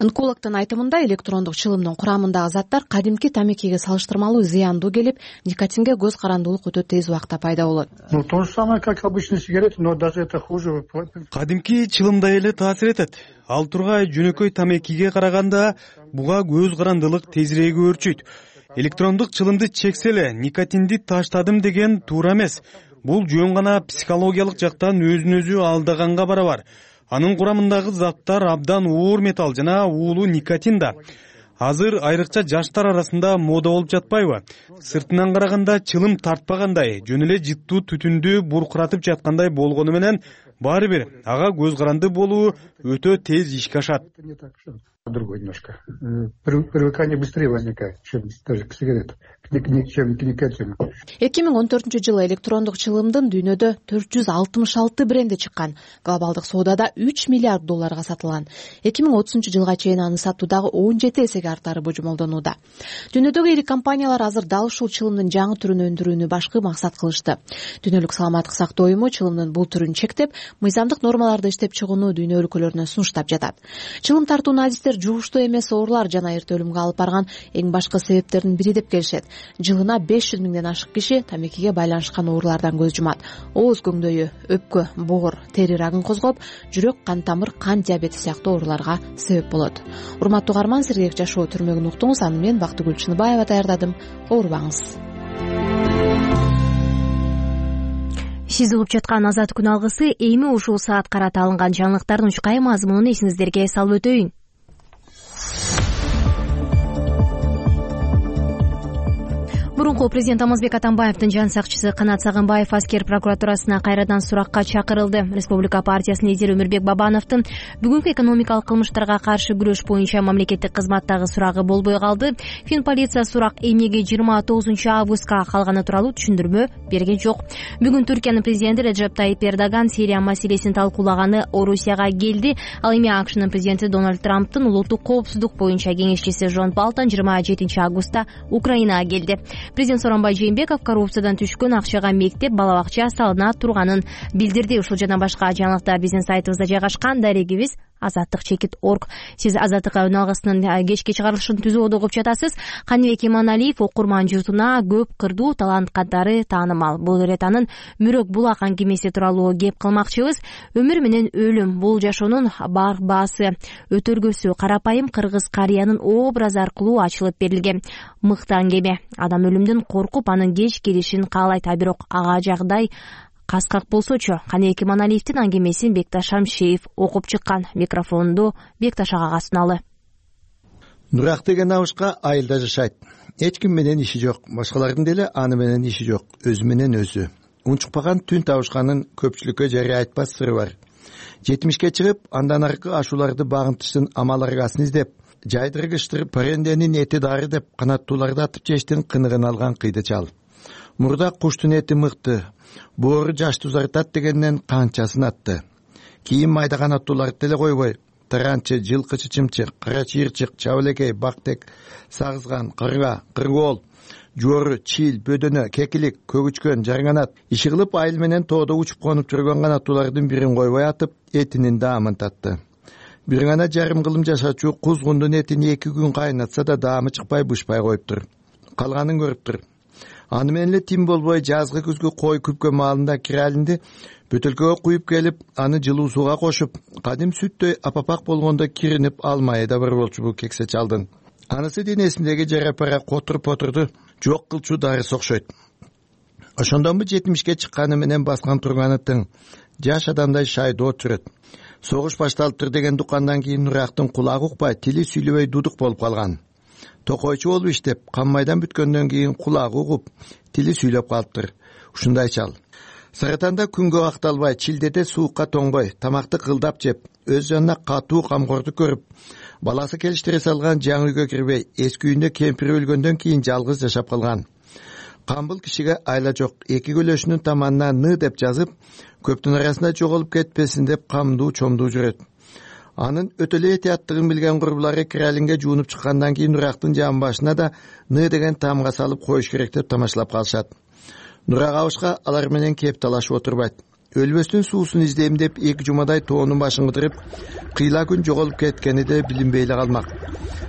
Онкологдун айтымында электрондук чылымдын курамындагы заттар кадимки тамекиге салыштырмалуу зыяндуу келип, никотинге көз карандуулук өтө тез убакта пайда болот. Ну то же самое, как обычные сигареты, но даже это хуже. Кадимки чылымдай эле таасир этет. Ал тургай жөнөкөй тамекиге караганда буга көз карандылык тезирээк өөрчүйт. Электрондук чылымды чексе эле никотинди таштадым деген туура эмес. Бул жөн гана психологиялык жактан өзүн өзү алдаганга барабар. Анын курамындагы заттар абдан оор металл жана уулуу никотин да. Азыр айрыкча жаштар арасында мода болуп жатпайбы? Сыртынан караганда чылым тартпагандай, жөн эле жыттуу түтүндү буркуратып жаткандай болгону менен баары бир ага көз каранды болуу өтө тез ишке ашат. Другой немножко. Привыкание быстрее возникает, чем даже к сигаретам, чем к никотину. эки миң он төртүнчү жылы электрондук чылымдын дүйнөдө төрт жүз алтымыш алты бренди чыккан. Глобалдык соодада үч миллиард долларга сатылган. эки миң отузунчу жылга чейин аны сатуу дагы он жети эсеге артары божомолдонууда. Дүйнөдөгү ири компаниялар азыр дал ушул чылымдын жаңы түрүн өндүрүүнү башкы максат кылышты. Дүйнөлүк саламаттык сактоо уюму чылымдын бул түрүн чектеп, мыйзамдык нормаларды иштеп чыгууну дүйнө өлкөлөрүнө сунуштап жатат. Чылым тартуунун адистер жугуштуу эмес оорулар жана эрте өлүмгө алып барган эң башкы себептердин бири деп келишет. Жылына беш жүз миңден ашык киши тамекиге байланышкан оорулардан көз жумат. Ооз көңдөйү, өпкө, боор, тери рагын козгоп, жүрөк, кан тамыр, кан диабети сыяктуу ооруларга себеп болот. Урматтуу угарман, Сергек жашоо түрмөгүн уктуңуз. Аны мен Бактыгүл Чыныбаева даярдадым. Оорубаңыз. Сиз угуп жаткан Азат күн алгысы эми ушул саат карата алынган жаңылыктардын учкай мазмунун эсиңиздерге салып өтөйүн. Мурунку президент Алмазбек Атамбаевдин жан сакчысы Канат Сагынбаев аскер прокуратурасына кайрадан суракка чакырылды. Республика партиясынын лидери Өмүрбек Бабановдун бүгүнкү экономикалык кылмыштарга каршы күрөш боюнча мамлекеттик кызматтагы сурагы болбой калды. Фин полиция сурак эмнеге жыйырма тогузунчу августка калганы тууралуу түшүндүрмө берген жок. Бүгүн Түркиянын президенти Реджеп Тайип Эрдоган Сирия маселесин талкуулаганы Орусияга келди. Ал эми АКШнын президенти Дональд Трамптын улуттук коопсуздук боюнча кеңешчиси Жон Болтон жыйырма жетинчи августта Украинага келди. Президент Сооронбай Жээнбеков коррупциядан түшкөн акчага мектеп, бала бакча салына турганын билдирди. Ушул жана башка жаңылыктар биздин сайтыбызда жайгашкан. Дарегибиз азаттык чекит точка орг. Сиз Азаттык үн алгысынын кечки чыгарылышын түзүүгө угуп жатасыз. Каныбек Иманалиев окурман журтуна көп кырдуу талант катары таанымал. Бул ирет анын Мүрөк булак аңгемеси тууралуу кеп кылмакчыбыз. Өмүр менен өлүм, бул жашоонун бар баасы, өтөргөсү карапайым кыргыз карыянын образы аркылуу ачылып берилген. Мыкты аңгеме. Адам өлүмдөн коркуп, анын кеч келишин каалайт, а бирок ага жагдай каскак болсочу. Каныбек Иманалиевдин аңгемесин Бекташ Шамшиев окуп чыккан. Микрофонду Бекташ агага суналы. Нурак деген абышка айылда жашайт. Эч ким менен иши жок, башкалардын деле аны менен иши жок, өзү менен өзү. Унчукпаган түн табышканын көпчүлүккө жарыя айтпас сыры бар. жетимишке чыгып, андан аркы ашууларды багынтыштын амал аргасын издеп, жайдыргычтыр паренденин эти дары деп канаттууларды атып жештин кыныгын алган кыйды чал. Мурда куштун эти мыкты, боору жашты узартат дегенден канчасын атты. Кийин майда канаттууларды деле койбой, таранчы, жылкычы чымчык, кара чыйырчык, чабылекей, бактек, сагызган, кырга, кыргоол, жуору, чил, бөдөнө, кекилик, көгүчкөн, жарганат, иши кылып айыл менен тоодо учуп конуп жүргөн канаттуулардын бирин койбой атып, этинин даамын татты. Бир гана жарым кылым жашачу кузгундун этин эки күн кайнатса да даамы чыкпай бышпай коюптур. Калганын көрүптүр. Аны менен эле тим болбой жазгы күзгү кой күпкө маалында киралинди бөтөлкөгө куюп келип, аны жылуу сууга кошуп, кадим сүттөй апапак болгондо киринип алмайы да бар болчу бул кексе чалдын. Анысы денесиндеги жарапара котур-потурду жок кылчу дарысы окшойт. Ошондон бу жетимишке чыкканы менен баскан турганы тың, жаш адамдай шайдоо жүрөт. Согуш башталыптыр деген дукандан кийин Нурактын кулагы укпай, тили сүйлөбөй дудук болуп калган. Токойчу болуп иштеп, каммайдан бүткөндөн кийин кулагы угуп, тили сүйлөп калыптыр. Ушундай чал. Саратанда күнгө акталбай, чилдеде суукка тоңбой, тамакты кылдап жеп, өз жанына катуу камгорду көрүп, баласы келиштире салган жаңы үйгө кирбей, эски үйүндө кемпири өлгөндөн кийин жалгыз жашап калган. Камбыл кишиге айла жок, эки көлөшүнүн таманына ны деп жазып, көптүн арасында жоголуп кетпесин деп камдуу чомдуу жүрөт. Анын өтөлө этияттыгын билген курбулары киралинге жуунуп чыккандан кийин Нурактын жан башына да ны деген таамга салып коюш керек деп тамашалап калышат. Нурак абышка алар менен кеп талашып отурбайт. Өлбөстүн суусун издейм деп эки жумадай тоонун башын кыдырып, кыйла күн жоголуп кеткени де билинбей эле калмак.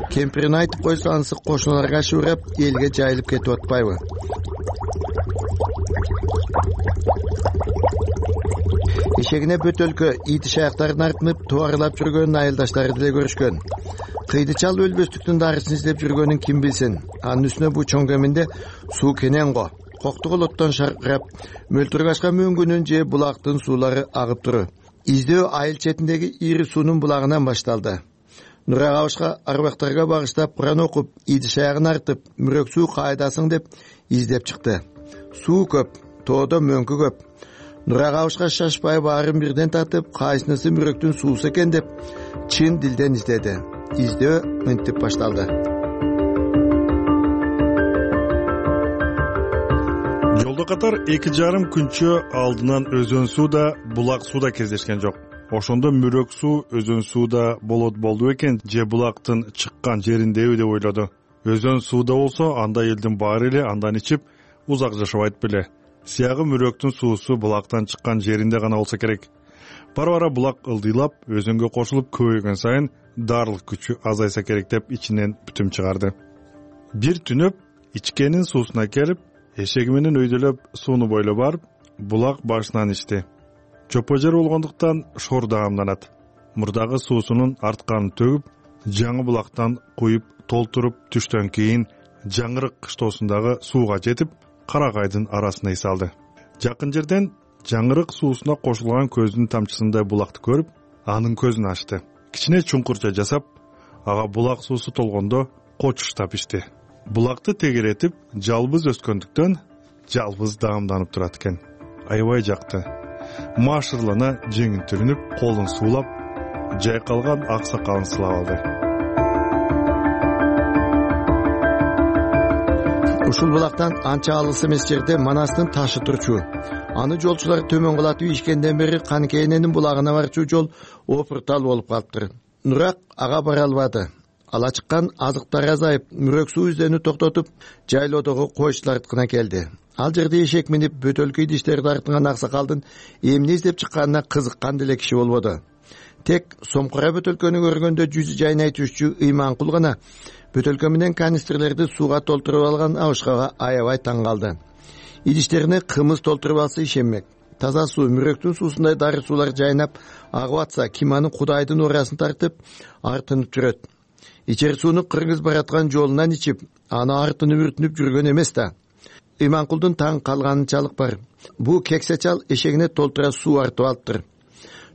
Кемпирин айтып койсо анысы кошуналарга шуурап, элге жайылып кетип атпайбы? Ишегине бөтөлкө ити шаяктарын артынып, туарылап жүргөн айылдаштары деле көрүшкөн. Кыйды чал өлбөстүктүн дарысын издеп жүргөнүн ким билсин. Анын үстүнө бу чоң кеминде суу кенен го. Коктугул оттон шаркырап, мөлтүргашка мөңгүнүн же булактын суулары агып туру. Издөө айыл четиндеги ири суунун булагынан башталды. Нурак Абышка арбактарга багыштап Куран окуп, идиш аягын артып, мүрөк суу кайдасың деп издеп чыкты. Суу көп, тоодо мөңкү көп. Нурак Абышка шашпай баарын бирден татып, кайсынысы мүрөктүн суусу экен деп чын дилден издеди. Издөө мынтип башталды. Жолдо катар эки жарым күнчө алдынан өзөн суу да, булак суу да кездешкен жок. Ошондо мүрөк суу өзөн сууда болот болду экен, же булактын чыккан жериндеби деп ойлоду. Өзөн сууда болсо, анда элдин баары эле андан ичип узак жашабайт беле. Сиягы мүрөктүн суусу булактан чыккан жеринде гана болсо керек. Бара-бара булак ылдыйлап, өзөнгө кошулуп көбөйгөн сайын дарылык күчү азайса керек деп ичинен бүтүм чыгарды. Бир түнөп ичкенин суусуна келип, эшеги менен өйдөлөп сууну бойлоп барып, булак башынан ичти. Чопо жер болгондуктан шор даамданат. Мурдагы суусунун артканын төгүп, жаңы булактан куюп толтуруп түштөн кийин жаңырык кыштоосундагы сууга жетип, каракайдын арасына ий салды. Жакын жерден жаңырык суусуна кошулган көздүн тамчысындай булакты көрүп, анын көзүн ачты. Кичине чуңкурча жасап, ага булак суусу толгондо кочуштап ичти. Булакты тегеретип, жалбыз өскөндүктөн жалбыз даамданып турат экен. Аябай жакты. Машырлана жеңин түрүнүп, колун суулап, жайкалган ак сакалын сылап алды. Ушул булактан анча алыс эмес жерде Манастын ташы турчу. Аны жолчулар төмөн кулатып ичкенден бери Канкененин булагына барчу жол опуртал болуп калыптыр. Нурак ага бара албады. Ала чыккан азыктар азайып, мүрөк суу издөөнү токтотуп, жайлоодогу койчулар ырткына келди. Ал жерде эшек минип бөтөлкө идиштерди артынган аксакалдын эмне издеп чыкканына кызыккан деле киши болбоду. Тек сомкура бөтөлкөнү көргөндө жүзү жайнай түшчү Ыйманкул гана бөтөлкө менен канистрлерди сууга толтуруп алган Абышкага аябай таң калды. Идиштерине кымыз толтуруп алса ишенмек. Таза суу, мүрөктүн суусундай дары суулар жайнап агып атса, ким анын Кудайдын урасын тартып, артынып жүрөт. Ичер сууну кыргыз бараткан жолунан ичип, аны артынып үртүнүп жүргөн эмес да. Ыйманкулдун таң калганынчалык бар. Бу кексе чал эшегине толтура суу артып алыптыр.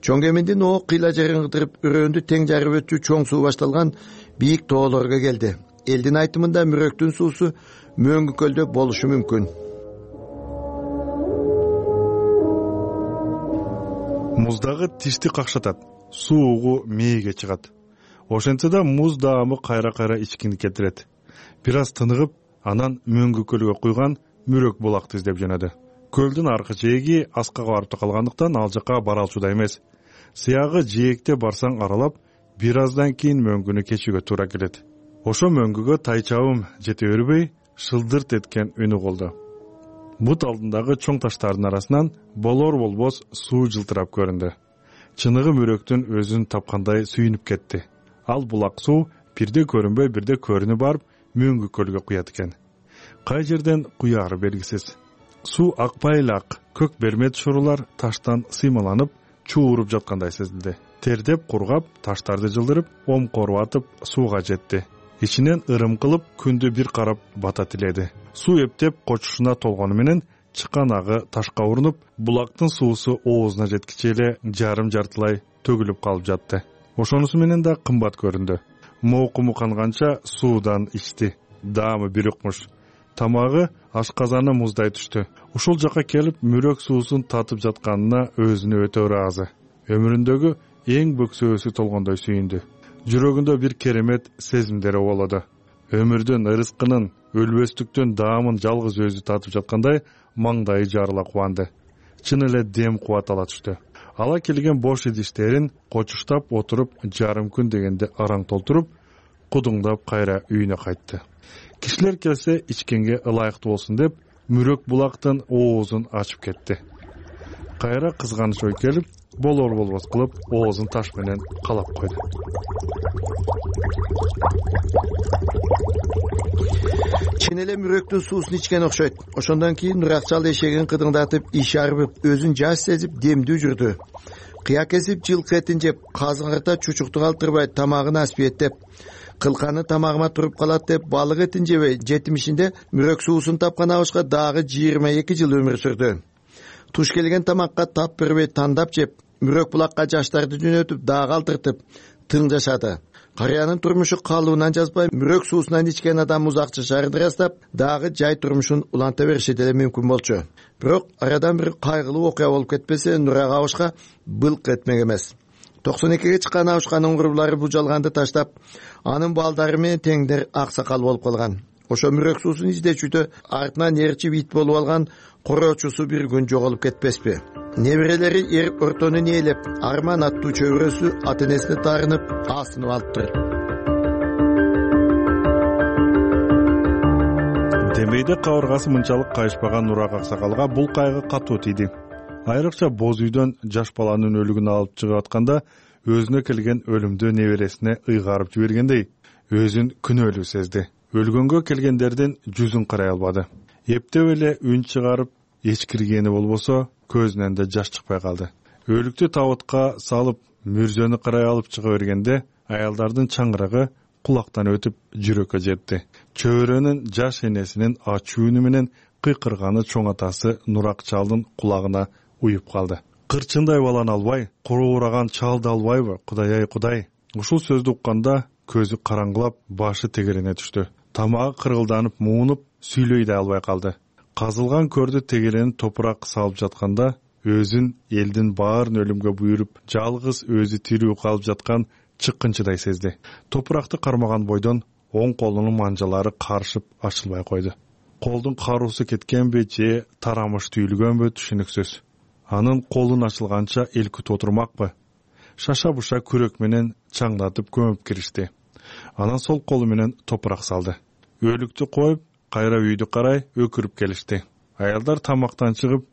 Чоң кеминдин о кыйла жерин кыдырып, өрөөндү тең жарып өтчү чоң суу башталган бийик тоолорго келди. Элдин айтымында мүрөктүн суусу мөңгү көлдө болушу мүмкүн. Муздагы тишти какшатат, суугу мээге чыгат. Ошентсе да муз даамы кайра-кайра ичкини келтирет. Бир аз тыныгып, анан мөңгү көлгө куйган мүрөк булакты издеп жөнөдү. Көлдүн аркы жээги аскага барып калгандыктан ал жака бара алчуда эмес. Сыягы жээкте барсаң аралап, бир аздан кийин мөңгүнү кечүүгө туура келет. Ошо мөңгүгө тайчабым жете бербей, шылдырт эткен үнү болду. Бут алдындагы чоң таштардын арасынан болор болбос суу жылтырап көрүндү. Чыныгы мүрөктүн өзүн тапкандай сүйүнүп кетти. Ал булак суу бирде көрүнбөй, бирде көрүнүп барып, мөңгү көлгө куят экен. Кай жерден куяары белгисиз. Суу акпай эле ак, көк бермет шурулар таштан сыймаланып, чууруп жаткандай сезилди. Тердеп кургап, таштарды жылдырып, омкоруп атып, сууга жетти. Ичинен ырым кылып, күндү бир карап бата тиледи. Суу эптеп кочушуна толгону менен чыккан агы ташка урунуп, булактын суусу оозуна жеткиче эле жарым жартылай төгүлүп калып жатты. Ошонусу менен да кымбат көрүндү. Моокуму канганча суудан ичти. Даамы бир укмуш. Тамагы ашказаны муздай түштү. Ушул жака келип, мүрөк суусун татып жатканына өзүнө өтө ыраазы. Өмүрүндөгү эң бөксөөсү толгондой сүйүндү. Жүрөгүндө бир керемет сезимдер болоду. Өмүрдүн ырыскынын, өлбөстүктүн даамын жалгыз өзү татып жаткандай маңдайы жарыла кубанды. Чын эле дем кубат ала түштү. Ала келген бош идиштерин кочуштап отуруп, жарым күн дегенде араң толтуруп, кудуңдап кайра үйүнө кайтты. Кишилер келсе ичкенге ылайыктуу болсун деп, мүрөк булактын оозун ачып кетти. Кайра кызганыч ой келип, болор болбос кылып, оозун таш менен калап койду. Чын эле мүрөктүн суусун ичкен окшойт. Ошондон кийин Нурак чал эшегин кыдыңдатып, иш арбып, өзүн жаш сезип, демдүү жүрдү. Кыя кесип, жылкы этин жеп, казыңарта чучукту калтырбай, тамагын аспиеттеп, кылканы тамагыма туруп калат деп, балык этин жебей, жетимишинде мүрөк суусун тапкан Абышка дагы жыйырма эки жыл өмүр сүрдү. Туш келген тамакка тап бербей тандап жеп, Мүрөк булакка жаштарды жөнөтүп дагы калтыртып тың жашады. Карыянын турмушу калыбынан жазбай, мүрөк суусунан ичкен адам узак жашаарын ырастап, дагы жай турмушун уланта бериши деле мүмкүн болчу. Бирок арадан бир кайгылуу окуя болуп кетпесе, Нурак Абышка былк этмек эмес. токсон экиге чыккан Абышканын курбулары бул жалганды таштап, анын балдары менен теңдер аксакал болуп калган. Ошо мүрөк суусун издечүүдө артынан ээрчип ит болуп алган короочусу бир күн жоголуп кетпеспи? Неберелери эр ортонун ээлеп, Арман аттуу чөбүрөсү ата энесине таарынып, асынып алыптыр. Демейде кабыргасы мынчалык кайышпаган Нурак аксакалга бул кайгы катуу тийди. Айрыкча боз үйдөн жаш баланын өлүгүн алып чыгып атканда өзүнө келген өлүмдү небересине ыйгарып жибергендей, өзүн күнөөлүү сезди. Өлгөнгө келгендердин жүзүн карай албады. Эптеп эле үн чыгарып эчкиргени болбосо, көзүнөн да жаш чыкпай калды. Өлүктү табытка салып, мүрзөнү карай алып чыга бергенде, аялдардын чаңырагы кулактан өтүп жүрөккө жетти. Чөбөрөнүн жаш энесинин ачуу үнү менен кыйкырганы чоң атасы Нурак чалдын кулагына уюп калды. Кырчындай баланы албай, куруураган чалды албайбы, Кудай ай Кудай. Ушул сөздү укканда көзү караңгылап, башы тегерене түштү. Тамагы кыргылданып, муунуп, сүйлөй да албай калды. Казылган көрдү тегеренин топурак салып жатканда, өзүн элдин баарын өлүмгө буйруп, жалгыз өзү тирүү калып жаткан чыккынчыдай сезди. Топуракты кармаган бойдон оң колунун манжалары карышып ачылбай койду. Колдун каруусу кеткенби же тарамыш түйүлгөнбү түшүнүксүз. Анын колун ачылганча эл күтүп отурмакпы? Шаша-буша күрөк менен чаңдатып көмүп киришти. Анан сол колу менен топурак салды. Өлүктү коюп, кайра үйдү карай өкүрүп келишти. Аялдар тамактан чыгып,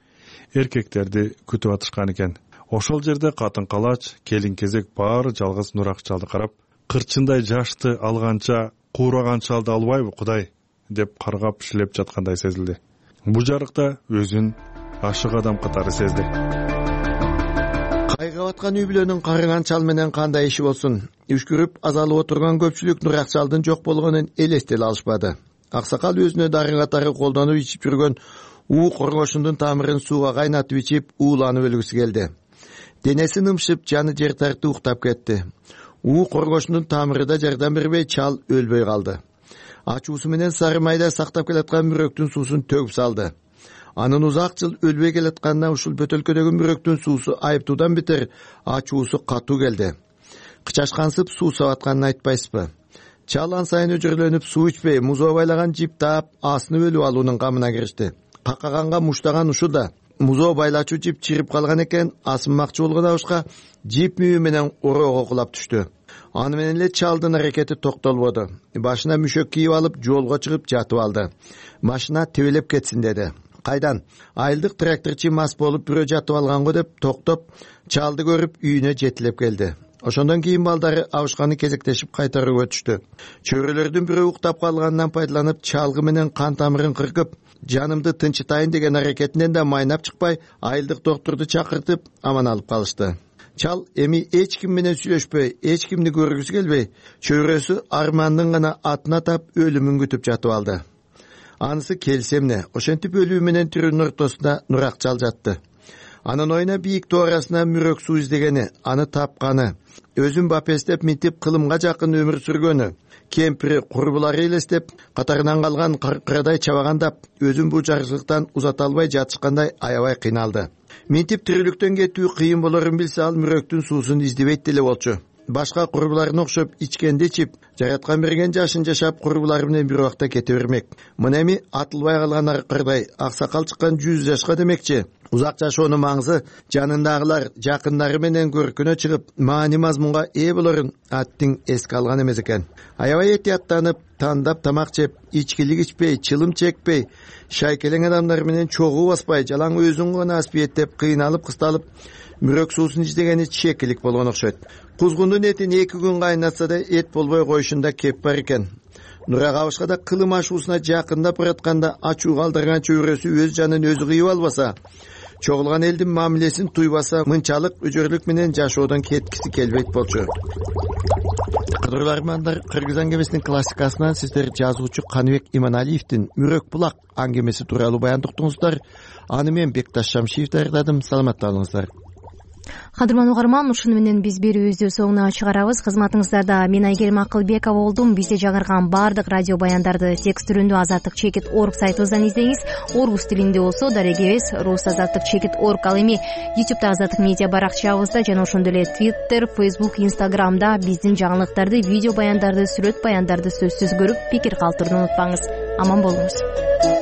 эркектерди күтүп атышкан экен. Ошол жерде катын-калач, келин-кезек баары жалгыз Нурак чалды карап, кырчындай жашты алганча, куураган чалды албайбы, Кудай, деп каргап шилеп жаткандай сезилди. Бу жарыкта өзүн ашык адам катары сезди. Кайгап аткан үй бүлөнүн карыган чал менен кандай иши болсун? Үшкүрүп азалып отурган көпчүлүк Нурак чалдын жок болгонун элестете алышпады. Аксакал өзүнө дары катары колдонуп ичип жүргөн уу коргошундун тамырын сууга кайнатып ичип, ууланып өлгүсү келди. Денеси нымшып, жаны жер тартып уктап кетти. уу коргошунун тамыры да жардам бербей, чал өлбөй калды. Ачуусу менен сары майда сактап келаткан мүрөктүн суусун төгүп салды. Анын узак жыл өлбөй келатканына ушул бөтөлкөдөгү мүрөктүн суусу айыптуудан бетер ачуусу катуу келди. Кычашкансып суу сабатканын айтпайсызбы? Чал ан сайын өжөрлөнүп суу ичпей, музоо байлаган жип таап, асынып өлүп алуунун камына киришти. Какаганга муштаган ушул да. Музоо байлачу жип чирип калган экен, асынмакчы болгон Абышка жип мүйү менен ороого кулап түштү. Аны менен эле чалдын аракети токтолбоду. Башына мүшөк кийип алып, жолго чыгып жатып алды. Машина тебелеп кетсин деди. Кайдан? Айылдык тракторчу мас болуп бирөө жатып алганго деп токтоп, чалды көрүп үйүнө жетилеп келди. Ошондон кийин балдары Абышканы кезектешип кайтарып өтүштү. Чөбөрөлөрдүн бирөө уктап калганынан пайдаланып, чалгы менен кан тамырын кыркып, жанымды тынчытайын деген аракетинен да майнап чыкпай, айылдык доктурду чакыртып, аман алып калышты. Чал эми эч ким менен сүйлөшпөй, эч кимди көргүсү келбей, чөбөрөсү Армандын гана атын атап өлүмүн күтүп жатып алды. Анысы келсе эмне, ошентип өлүү менен тирүүнүн ортосунда Нурак чал жатты. Анын оюна бийик тоо арасына мүрөк суу издегени, аны тапканы, өзүн бапестеп минтип кылымга жакын өмүр сүргөнү, кемпири, курбулары элестеп, катарынан калган кыркырадай чабагандап, өзүн бул жарчылыктан узата албай жатышкандай аябай кыйналды. Минтип тирүүлүктөн кетүү кыйын болорун билсе, ал мүрөктүн суусун издебейт деле болчу. Башка курбуларына окшоп ичкенди ичип, жараткан берген жашын жашап, курбулары менен бир убакта кете бермек. Мына эми атылбай калган аркырдай аксакал чыккан жүз жашка демекчи. Узак жашоонун маңызы жанындагылар, жакындары менен көркүнө чыгып, маани мазмунга ээ болорун аттиң эске алган эмес экен. Аябай этияттанып, тандап тамак жеп, ичкилик ичпей, чылым чекпей, шайкелең адамдар менен чогуу баспай, жалаң өзүн гана аспиеттеп, кыйналып кысталып, мүрөк суусун издегени чекилик болгон окшойт. Кузгундун этин эки күн кайнатса да эт болбой коюшунда кеп бар экен. Нурак Абышка да кылым ашуусуна жакындап баратканда ачуу калтырган чөбөрөсү өз жанын өзү кыйып албаса, чогулган элдин мамилесин туйбаса, мынчалык өжөрлүк менен жашоодон кеткиси келбейт болчу. Кадырлуу армандар, Кыргыз аңгемесинин классикасынан сиздер жазуучу Каныбек Иманалиевдин Мүрөк булак аңгемеси тууралуу баяндыктыңыздар. Аны мен Бекташ Шамшиев даярдадым. Саламатта болуңуздар. кадырман угарман, ушуну менен биз берүүбүздү соңуна чыгарабыз. Кызматыңыздарда мен Айгерим Акылбекова болдум. Бизди жаңырган баардык радио баяндарды текст түрүндө азаттык чекит точка орг сайтыбыздан издеңиз. Орус тилинде болсо дарегебиз рус азаттык чекит точка орг. Ал эми ютубта азаттык медиа баракчабызда жана ошондой эле Twitter, Facebook, Instagramда биздин жаңылыктарды, видео баяндарды, сүрөт баяндарды сөзсүз көрүп, пикир калтырууну унутпаңыз. Аман болуңуз.